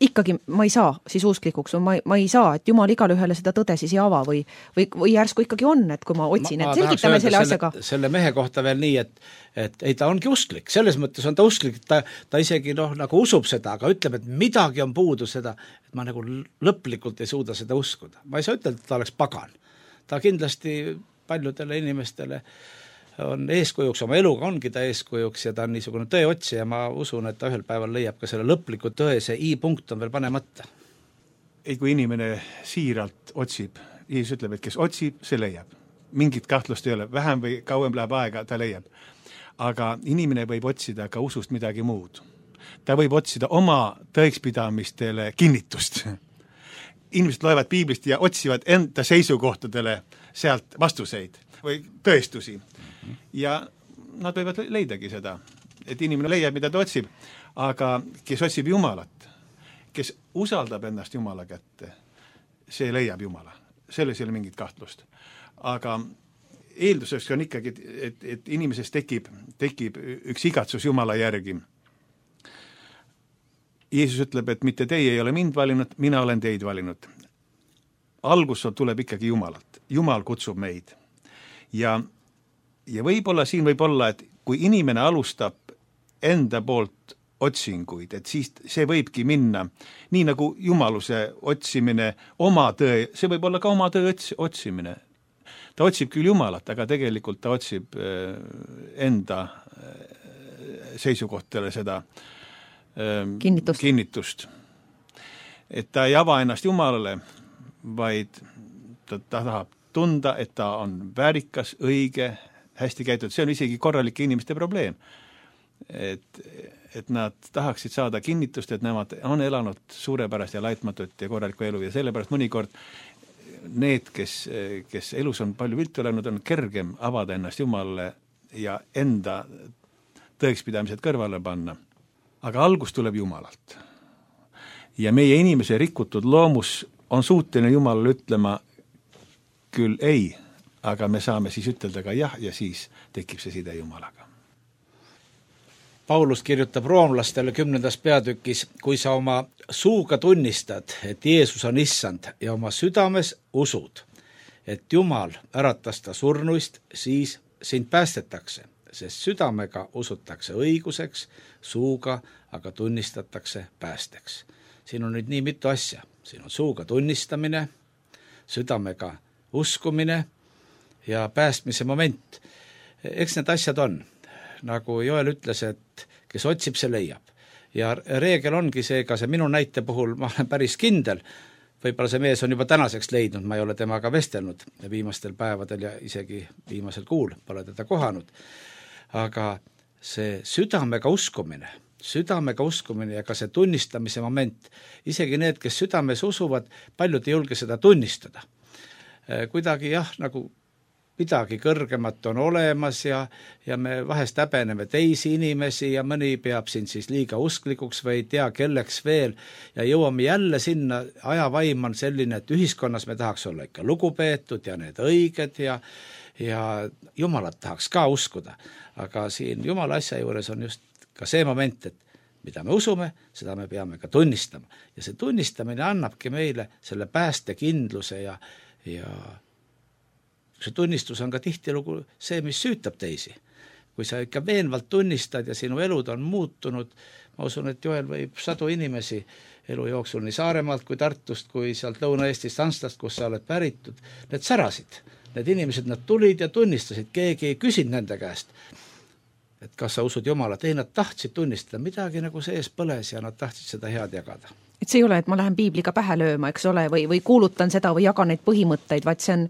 ikkagi ma ei saa siis usklikuks, ma, ma ei saa, et Jumal igale ühele seda tõde siis ei ava või, või, või järsku ikkagi on, et kui ma otsin, ma, et selgitame selle asjaga. Selle mehe kohta veel nii, et, et ei, ta ongi usklik, selles mõttes on ta usklik, ta, ta isegi noh, nagu usub seda, aga ütleb, et midagi on puudu seda, et ma nagu lõplikult ei suuda seda uskuda. Ma ei saa ütelda, et ta oleks pagan. Ta kindlasti paljudele inimestele on eeskujuks, oma eluga ongi ta eeskujuks ja ta on niisugune tõeotsi ja ma usun, et ta ühel päeval leiab ka selle lõpliku tõe, see i-punkt on veel panemata. Ei, kui inimene siiralt otsib, Jeesus ütleb, et kes otsib, see leiab. Mingit kahtlust ei ole, vähem või kauem läheb aega, ta leiab. Aga inimene võib otsida ka usust midagi muud. Ta võib otsida oma tõekspidamistele kinnitust. Inimesed loevad Piiblist ja otsivad enda seisukohtadele sealt vastuseid või tõestusi. Ja nad võivad leidagi seda, et inimene leiab, mida ta otsib, aga kes otsib Jumalat, kes usaldab ennast Jumala kätte, see leiab Jumala. Selles ei ole mingit kahtlust. Aga eelduseks on ikkagi, et, et inimeses tekib, tekib üks igatsus Jumala järgi. Jeesus ütleb, et mitte teie ei ole mind valinud, mina olen teid valinud. Algus tuleb ikkagi Jumalalt. Jumal kutsub meid. Ja, ja võib-olla siin võib olla, et kui inimene alustab enda poolt otsinguid, et siis see võibki minna, nii nagu jumaluse otsimine, oma tõe, see võib olla ka oma tõe otsimine. Ta otsib küll Jumalat, aga tegelikult ta otsib enda seisukohtele seda kinnitust. kinnitust. Et ta ei ava ennast Jumalale, vaid ta, ta tahab tunda, et ta on väärikas, õige, hästi käitud. See on isegi korralike inimeste probleem. Et, et nad tahaksid saada kinnitust, et nemad on elanud suurepärast ja laitmatut ja korralikku elu ja sellepärast mõnikord need, kes, kes elus on palju viltu elanud, on kergem avada ennast Jumalale ja enda tõekspidamised kõrvale panna. Aga algus tuleb Jumalalt. Ja meie inimese rikutud loomus on suuteline Jumalale ütlema küll ei, aga me saame siis ütelda ka jah ja siis tekib see side Jumalaga. Paulus kirjutab roomlastele kümnendas peatükis, kui sa oma suuga tunnistad, et Jeesus on issand ja oma südames usud, et Jumal äratas ta surnuist, siis sind päästetakse, sest südamega usutakse õiguseks, suuga aga tunnistatakse päästeks. Siin on nüüd nii mitu asja. Siin on suuga tunnistamine, südamega uskumine ja päästmise moment. Eks need asjad on. Nagu Joel ütles, et kes otsib, see leiab. Ja reegel ongi see, ka see minu näite puhul, ma olen päris kindel, võib-olla see mees on juba tänaseks leidnud, ma ei ole temaga vestelnud viimastel päevadel ja isegi viimasel kuul pole teda kohanud. Aga see südamega uskumine, südamega uskumine ja ka see tunnistamise moment, isegi need, kes südames usuvad, paljud ei julge seda tunnistada. Kuidagi jah, nagu midagi kõrgemat on olemas ja, ja me vahest häbeneme teisi inimesi ja mõni peab siin siis liiga usklikuks või ei tea kelleks veel ja jõuame jälle sinna, ajavaim on selline, et ühiskonnas me tahaks olla ikka lugupeetud ja need õiged ja, ja Jumalat tahaks ka uskuda. Aga siin Jumala asja juures on just ka see moment, et mida me usume, seda me peame ka tunnistama. Ja see tunnistamine annabki meile selle päästekindluse ja, ja see tunnistus on ka tihtilugu see, mis süütab teisi. Kui sa ikka veenvalt tunnistad ja sinu elud on muutunud, ma usun, et Joel võib sadu inimesi elu jooksul nii Saaremaalt kui Tartust, kui sealt Lõuna-Eestist Anslast, kus sa oled päritud, need särasid. Need inimesed, nad tulid ja tunnistasid, keegi ei küsinud nende käest, et kas sa usud Jumalat. Ei, nad tahtsid tunnistada, midagi nagu sees põles ja nad tahtsid seda head jagada. Et see ei ole, et ma lähen piibliga pähe lööma, eks ole, või, või kuulutan seda või jagan neid põhimõtteid, vaid see on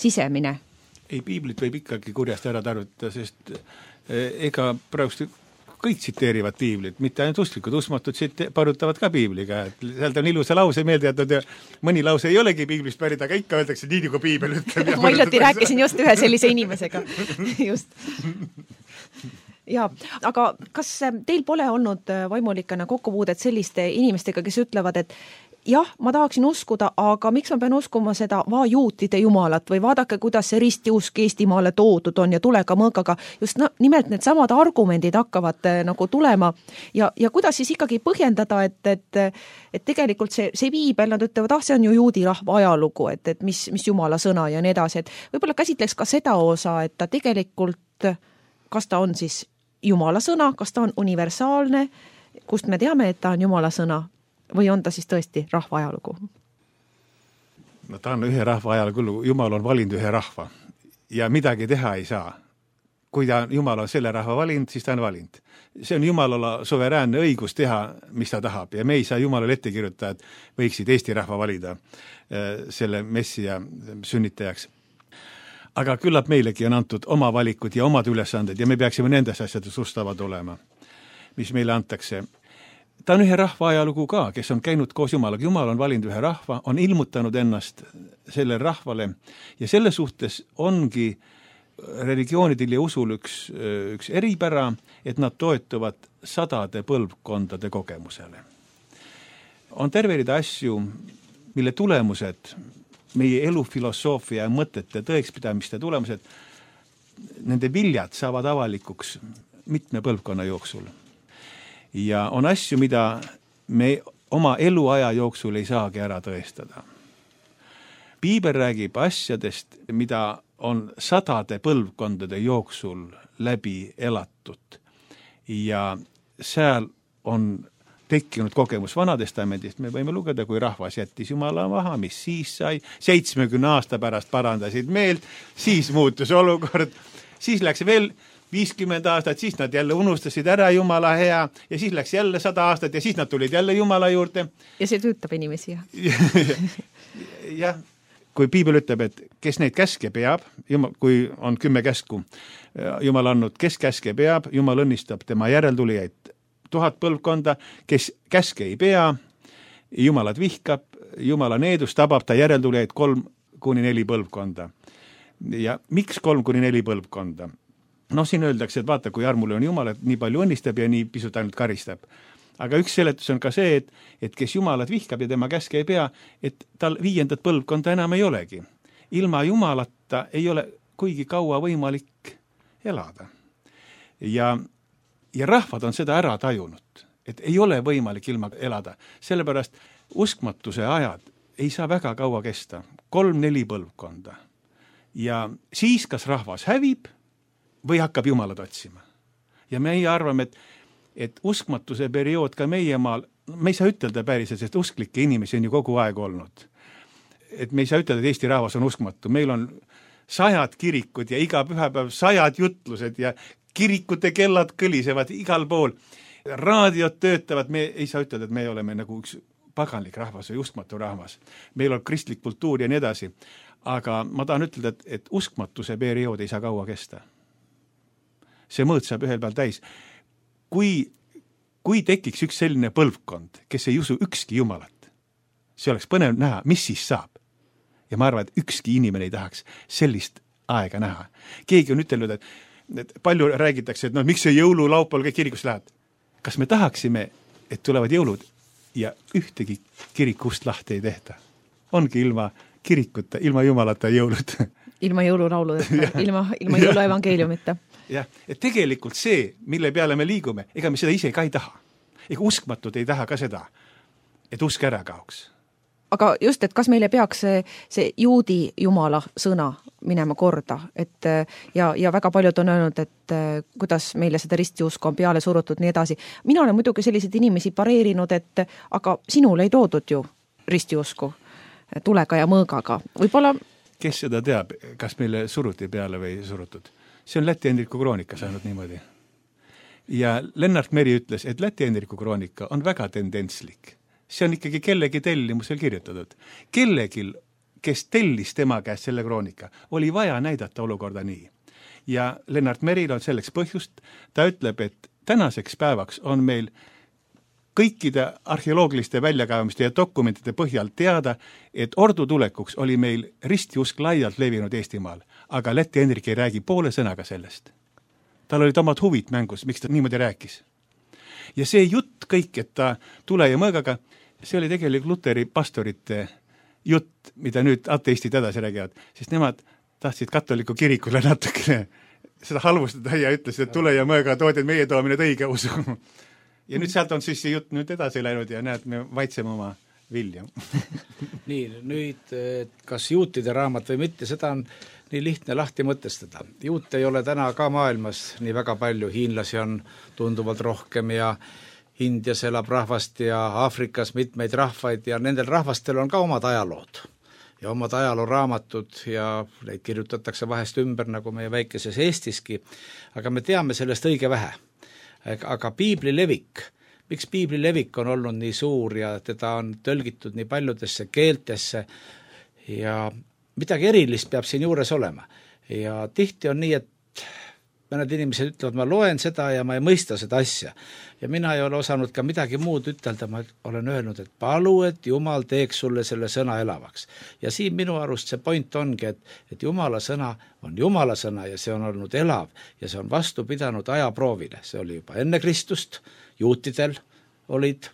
sisemine. Ei, piiblit võib ikkagi kurjast ära tarvitada, sest ega praegu kõik tsiteerivad piiblit, mitte ainult usklikud, usmatud parutavad ka piibliga, et sealt on ilusa lause meelde jätud ja mõni lause ei olegi piiblist pärit, aga ikka öeldakse nii, nagu piibel ütleb. Ma hiljuti rääkisin just ühe sellise inimesega. Just. Ja, aga kas teil pole olnud vaimulikana kokkupuudet selliste inimestega, kes ütlevad, et jah, ma tahaksin uskuda, aga miks ma pean uskuma seda vaajuutide Jumalat või vaadake, kuidas see ristiusk Eestimaale toodud on ja tulega mõõgaga. Just no, nimelt need samad argumendid hakkavad nagu tulema ja, ja kuidas siis ikkagi põhjendada, et, et, et tegelikult see, see piibel, nad ütlevad, ah, see on ju juudi rahva ajalugu, et, et mis, mis Jumala sõna ja nii edasi, et võib-olla käsitleks ka seda osa, et ta tegelikult, kas ta on siis Jumala sõna, kas ta on universaalne, kust me teame, et ta on Jumala sõna, või on ta siis tõesti rahva ajalugu? No ta on ühe rahva ajalugu, Jumal on valinud ühe rahva ja midagi teha ei saa. Kui ta, Jumal on selle rahva valinud, siis ta on valinud. See on Jumalala suveräänne õigus teha, mis ta tahab ja me ei saa Jumalale ette kirjutada, et võiksid Eesti rahva valida selle messia sünnitajaks. Aga küllap meilegi on antud oma valikud ja omad ülesanded ja me peaksime nendes asjades ustavad olema, mis meile antakse. Ta on ühe rahva ajalugu ka, kes on käinud koos Jumalaga. Jumal on valinud ühe rahva, on ilmutanud ennast selle rahvale ja selle suhtes ongi religioonidel ja usul üks, üks eripära, et nad toetuvad sadade põlvkondade kogemusele. On terve rida asju, mille tulemused, meie elufilosoofia ja mõtete tõekspidamiste tulemused, nende viljad saavad avalikuks mitme põlvkonna jooksul. Ja on asju, mida me oma eluaja jooksul ei saagi ära tõestada. Piibel räägib asjadest, mida on sadade põlvkondade jooksul läbi elatud ja seal on tekkinud kogemus Vanatestamendist, me võime lugeda, kui rahvas jättis Jumala maha, mis siis sai, seitsmekümne aasta pärast parandasid meelt, siis muutus olukord, siis läks veel viiskümmend aastat, siis nad jälle unustasid ära Jumala hea ja siis läks jälle sada aastat ja siis nad tulid jälle Jumala juurde. Ja see tüütab inimesi, jah. jah, kui piibel ütleb, et kes neid käske peab, jumal, kui on kümme käsku, Jumal andnud, kes käske peab, Jumal õnnistab tema järeltulijaid tuhat põlvkonda, kes käske ei pea, Jumalat vihkab, Jumala needus tabab ta järeltulijaid kolm kuni neli põlvkonda. Ja miks kolm kuni neli põlvkonda? No siin öeldakse, et vaata, kui armule on Jumal, et nii palju õnnistab ja nii pisut ainult karistab. Aga üks seletus on ka see, et, et kes Jumalat vihkab ja tema käske ei pea, et tal viiendat põlvkonda enam ei olegi. Ilma Jumalata ei ole kuigi kaua võimalik elada. Ja Ja rahvad on seda ära tajunud, et ei ole võimalik ilma elada. Sellepärast uskmatuse ajad ei saa väga kaua kesta, kolm-neli põlvkonda. Ja siis kas rahvas hävib või hakkab Jumalat otsima. Ja meie arvame, et, et uskmatuse periood ka meie maal, me ei saa ütelda päriselt, sest usklikke inimesi on ju kogu aeg olnud. Et me ei saa ütelda, et Eesti rahvas on uskmatu. Meil on sajad kirikud ja iga pühapäev sajad jutlused ja kirikute kellad kõlisevad igal pool, raadiod töötavad, me ei saa ütelda, et me oleme nagu üks paganlik rahvas või uskmatu rahvas. Meil on kristlik kultuur ja nii edasi. Aga ma tahan ütelda, et, et uskmatuse periood ei saa kaua kesta. See mõõt saab ühel peal täis. Kui, kui tekiks üks selline põlvkond, kes ei usu ükski Jumalat, see oleks põnev näha, mis siis saab. Ja ma arvan, et ükski inimene ei tahaks sellist aega näha. Keegi on ütelnud, et et palju räägitakse, et no miks see jõululaupal kõik kirikusse läheb. Kas me tahaksime, et tulevad jõulud ja ühtegi kirikust lahti ei tehta? Ongi ilma kirikuta, ilma Jumalata jõulud. Ilma jõululauludeta, ilma, ilma jõuluevangeeliumita. Jah, et tegelikult see, mille peale me liigume, ega me seda ise ka ei taha. Ega uskmatud ei taha ka seda, et usk ära kaoks. Aga just, et kas meile peaks see, see juudi Jumala sõna minema korda, et ja, ja väga paljud on öelnud, et kuidas meile seda ristiusku on peale surutud nii edasi. Mina olen muidugi selliseid inimesi pareerinud, et aga sinul ei toodud ju ristiusku tulega ja mõõgaga. Võib-olla... Kes seda teab, kas meile suruti peale või ei surutud? See on Läti Hendriku kroonika saanud niimoodi. Ja Lennart Meri ütles, et Läti Hendriku kroonika on väga tendentslik. See on ikkagi kellegi tellimusel kirjutatud. Kellegil, kes tellis tema käest selle kroonika, oli vaja näidata olukorda nii. Ja Lennart Meril on selleks põhjust, ta ütleb, et tänaseks päevaks on meil kõikide arheoloogiliste väljakaevamiste ja dokumentide põhjal teada, et ordu tulekuks oli meil ristiusk laialt levinud Eestimaal, aga Läti Hendrik ei räägi poole sõnaga sellest. Tal olid omad huvid mängus, miks ta niimoodi rääkis. Ja see jutt kõik, et ta tule ja mõõgaga, see oli tegelikult Luteri pastorite jutt, mida nüüd ateistid edasi räägivad, sest nemad tahtsid katoliku kirikule natukene seda halvustada ja ütlesid, et tule ja mõõga toodid meie toomine õige usu. Ja nüüd sealt on siis see jutt nüüd edasi läinud ja näed, me vaitseme oma vilja. Nii, nüüd kas juutide raamat või mitte, seda on nii lihtne lahti mõtestada. Juut ei ole täna ka maailmas nii väga palju, hiinlasi on tunduvalt rohkem ja Indias elab rahvast ja Aafrikas mitmeid rahvaid ja nendel rahvastel on ka omad ajalood ja omad ajalooraamatud ja neid kirjutatakse vahest ümber nagu meie väikeses Eestiski, aga me teame sellest õige vähe. Aga piibli levik, miks piibli levik on olnud nii suur ja teda on tõlgitud nii paljudesse keeltesse ja midagi erilist peab siin juures olema. Ja tihti on nii, et mõned inimesed ütlevad, ma loen seda ja ma ei mõista seda asja. Ja mina ei ole osanud ka midagi muud ütelda, ma olen öelnud, et palu, et Jumal teeks sulle selle sõna elavaks. Ja siin minu arust see point ongi, et, et Jumala sõna on Jumala sõna ja see on olnud elav ja see on vastu pidanud ajaproovile. See oli juba enne Kristust, juutidel olid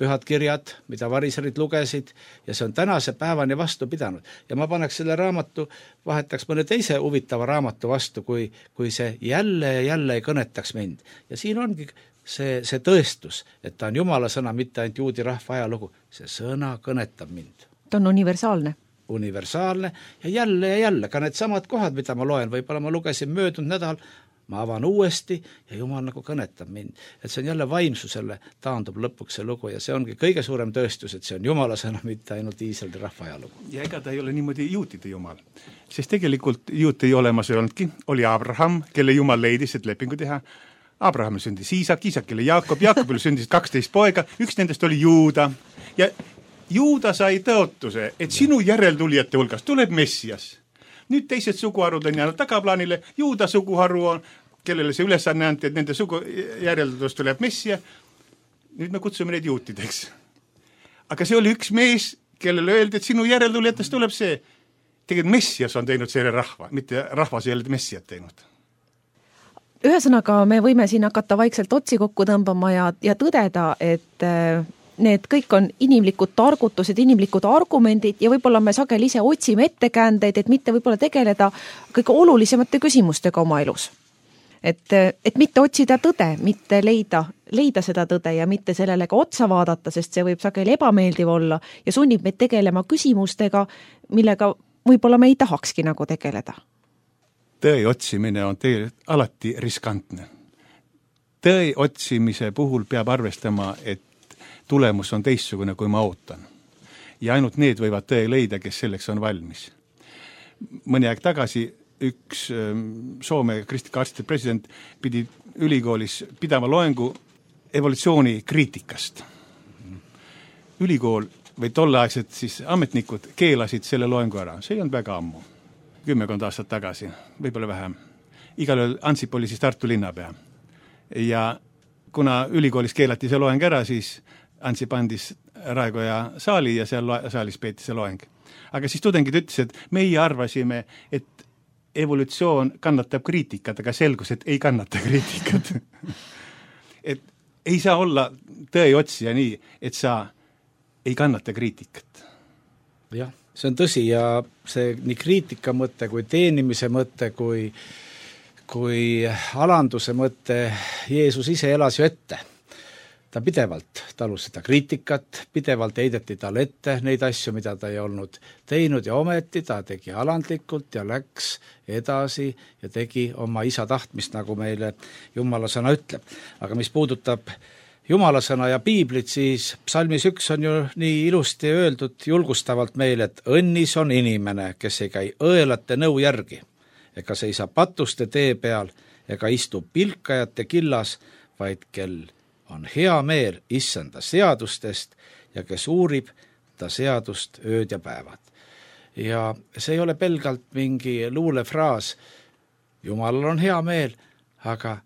pühad kirjad, mida variserid lugesid ja see on tänase päevani vastu pidanud. Ja ma paneks selle raamatu, vahetaks mõne teise huvitava raamatu vastu, kui, kui see jälle ja jälle ei kõnetaks mind. Ja siin ongi see, see tõestus, et ta on Jumala sõna, mitte ainult juudi rahva ajalugu. See sõna kõnetab mind. Ta on universaalne. Universaalne ja jälle ja jälle, ka need samad kohad, mida ma loen, võib-olla ma lugesin möödunud nädal, ma avan uuesti ja Jumal nagu kõnetab mind. Et see on jälle vaimsusele taandub lõpuks see lugu ja see ongi kõige suurem tõestus, et see on Jumala sõna, mitte ainult Iisraeli rahva ajalugu. Ja ega ta ei ole niimoodi juutide Jumal. Sest tegelikult juut ei olemas ei olnudki, oli Abraham, kelle Jumal leidis, et lepingu teha. Abrahamil sündis Iisak, Iisakile Jaakob, Jaakobile sündis kaksteist poega, üks nendest oli Juuda. Ja Juuda sai tõotuse, et sinu järeltulijate hulgas tuleb Messias. Nüüd teised suguharud on jäänud tagaplaanile, Juuda suguharu on, kellele see ülesanne anti, et nende sugu järeltulust tuleb Messia. Nüüd me kutsume neid juutideks. Aga see oli üks mees, kellele öeldi, et sinu järeltulijatest tuleb see. Tegelikult Messias on teinud selle rahva, mitte rahvas ei ole Messiat teinud. Ühesõnaga, me võime siin hakata vaikselt otsi kokku tõmbama ja, ja tõdeda, et need kõik on inimlikud targutused, inimlikud argumendid ja võib-olla me sageli ise otsime ettekäändeid, et mitte võib-olla tegeleda kõige olulisemate küsimustega oma elus. Et, et mitte otsida tõde, mitte leida, leida seda tõde ja mitte sellele ka otsa vaadata, sest see võib sageli ebameeldiv olla ja sunnib meid tegelema küsimustega, millega võib-olla me ei tahakski nagu tegeleda. Tõe otsimine on tegelikult alati riskantne. Tõe otsimise puhul peab arvestama, et tulemus on teistsugune, kui ma ootan. Ja ainult need võivad tõe leida, kes selleks on valmis. Mõni aeg tagasi üks Soome kristlike arstide president pidi ülikoolis pidama loengu evolutsiooni kriitikast. Ülikool või tolleaegsed siis ametnikud keelasid selle loengu ära. See ei olnud väga ammu. Kümmekond aastat tagasi, võib-olla vähem. Igal juhul Ansip oli siis Tartu linnapea. Ja kuna ülikoolis keelati see loeng ära, siis Ansip andis Raekoja saali ja seal saalis peeti see loeng. Aga siis tudengid ütles, et meie arvasime, et evolutsioon kannatab kriitikat, aga selgus, et ei kannata kriitikat. Et ei saa olla tõe otsija nii, et sa ei kannata kriitikat. Jah, see on tõsi ja see nii kriitika mõte kui teenimise mõte kui, kui alanduse mõte Jeesus ise elas ju ette. Ta pidevalt talus seda kriitikat, pidevalt heideti tal ette neid asju, mida ta ei olnud teinud ja ometi ta tegi alandlikult ja läks edasi ja tegi oma isa tahtmist, nagu meile Jumala sõna ütleb. Aga mis puudutab Jumala sõna ja piiblit, siis psalmis üks on ju nii ilusti öeldud julgustavalt meile, et õnnis on inimene, kes ei käi õelate nõu järgi, ega seisa patuste tee peal, ega istu pilkajate killas, vaid kel on hea meel issanda seadustest ja kes uurib ta seadust ööd ja päevad. Ja see ei ole pelgalt mingi luulefraas, Jumalal on hea meel, aga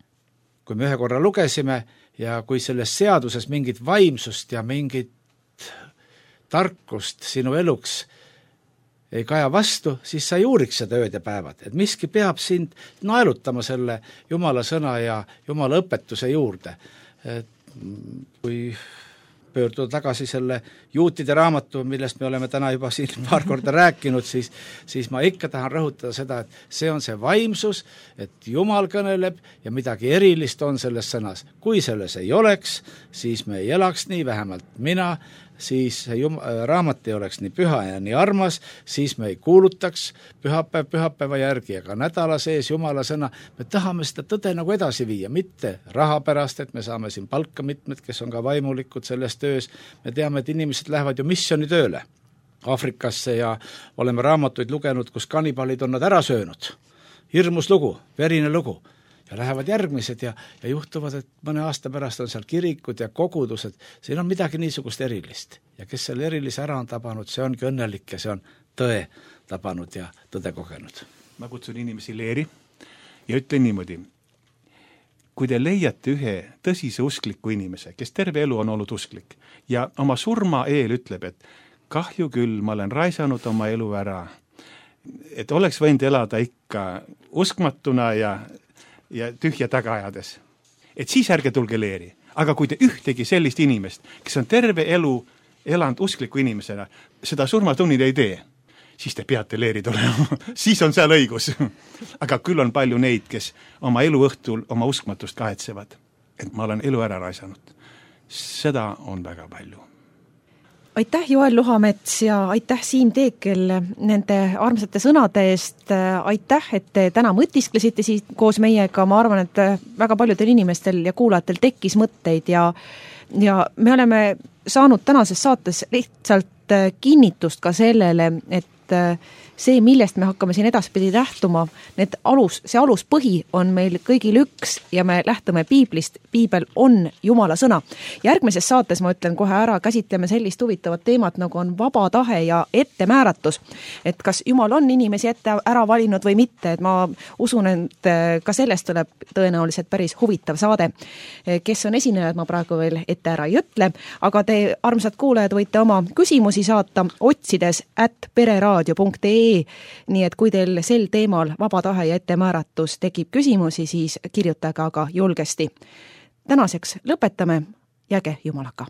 kui me ühe korra lugesime ja kui selles seaduses mingit vaimsust ja mingit tarkust sinu eluks ei kaja vastu, siis sa ei uuriks seda ööd ja päevad. Et miski peab sind naelutama selle Jumala sõna ja Jumala õpetuse juurde. Et kui pöörduda tagasi selle juutide raamatu, millest me oleme täna juba siin paar korda rääkinud, siis, siis ma ikka tahan rõhutada seda, et see on see vaimsus, et Jumal kõneleb ja midagi erilist on selles sõnas. Kui selles ei oleks, siis me ei elaks nii, vähemalt mina, siis jum- raamat ei oleks nii püha ja nii armas, siis me ei kuulutaks pühapäev pühapäeva järgi, aga nädala sees Jumala sõna, me tahame seda tõde nagu edasi viia, mitte raha pärast, et me saame siin palka mitmed, kes on ka vaimulikud selles töös, me teame, et inimesed lähevad ju missioonitööle Afrikasse ja oleme raamatuid lugenud, kus kannibalid on nad ära söönud. Hirmus lugu, verine lugu. Ja lähevad järgmised ja, ja juhtuvad, et mõne aasta pärast on seal kirikud ja kogudused. Siin on midagi niisugust erilist. Ja kes selle erilise ära on tabanud, see ongi õnnelik ja see on tõe tabanud ja tõde kogenud. Ma kutsun inimesi leeri ja ütlen niimoodi. Kui te leiate ühe tõsise uskliku inimese, kes terve elu on olnud usklik ja oma surma eel ütleb, et kahju küll, ma olen raisanud oma elu ära, et oleks võinud elada ikka uskmatuna ja ja tühja tagaajades. Et siis ärge tulge leeri. Aga kui te ühtegi sellist inimest, kes on terve elu elanud uskliku inimesena, seda surmatunnid ei tee, siis te peate leeri tulema. Siis on seal õigus. Aga küll on palju neid, kes oma elu õhtul oma uskmatust kahetsevad. Et ma olen elu ära raisanud. Seda on väga palju. aitäh, Joel Luhamets ja aitäh, Siim Teekel, nende armsate sõnade eest. Aitäh, et te täna mõtisklesite siit koos meiega. Ma arvan, et väga paljudel inimestel ja kuulajatel tekkis mõtteid ja, ja me oleme saanud tänases saates lihtsalt kinnitust ka sellele, et see, millest me hakkame siin edaspidi lähtuma, need alus, see aluspõhi on meil kõigil üks ja me lähtume piiblist. Piibel on Jumala sõna. Järgmises saates, ma ütlen kohe ära, käsitleme sellist huvitavat teemat, nagu on vaba tahe ja ettemääratus. Et kas Jumal on inimesi ette ära valinud või mitte, et ma usun, et ka sellest tuleb tõenäoliselt päris huvitav saade. Kes on esinejad, ma praegu veel ette ära ei ütle, aga te, armsad kuulajad, võite oma küsimusi saata otsides at pereraadio punkt ee. Nii et kui teil sel teemal vaba tahe ja ettemääratus tekib küsimusi, siis kirjutage aga julgesti. Tänaseks lõpetame, jääge Jumalaga.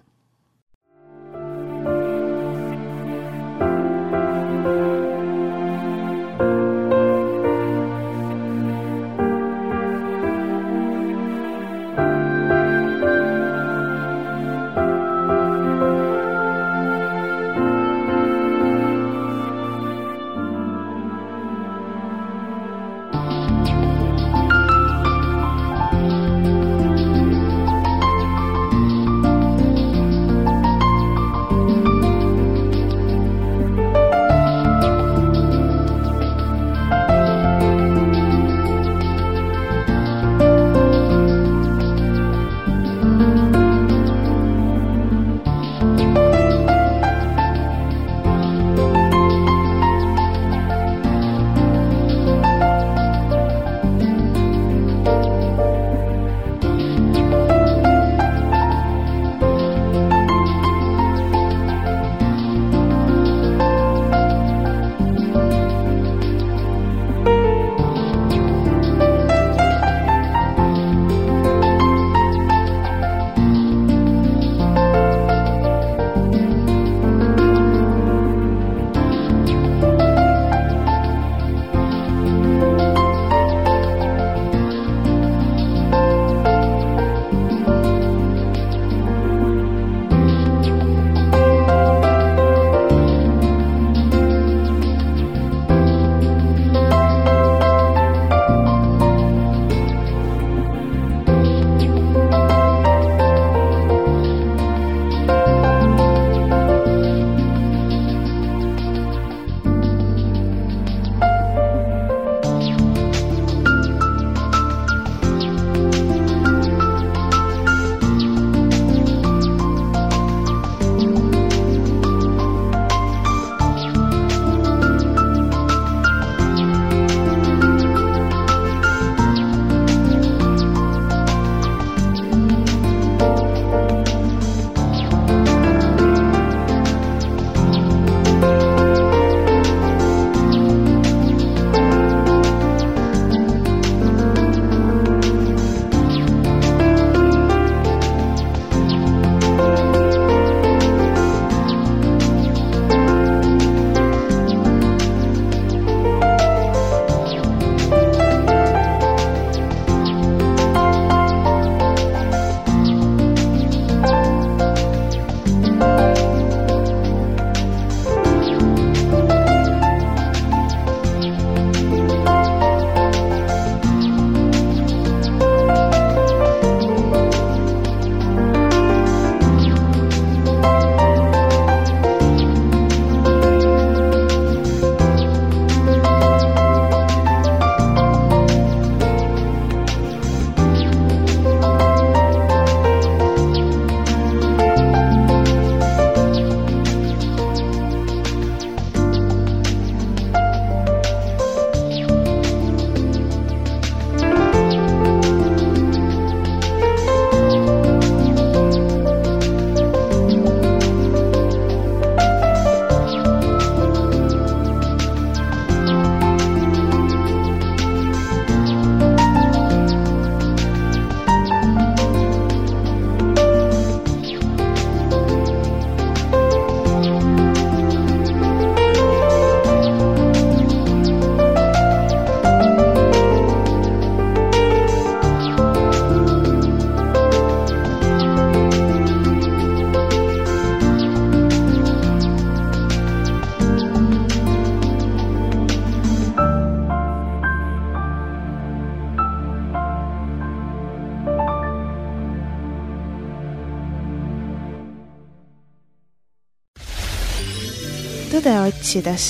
tõde otsides.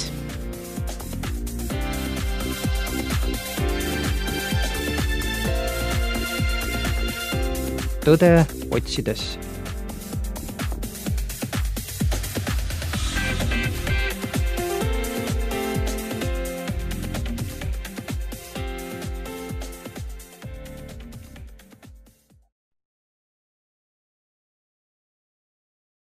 Tõde otsides.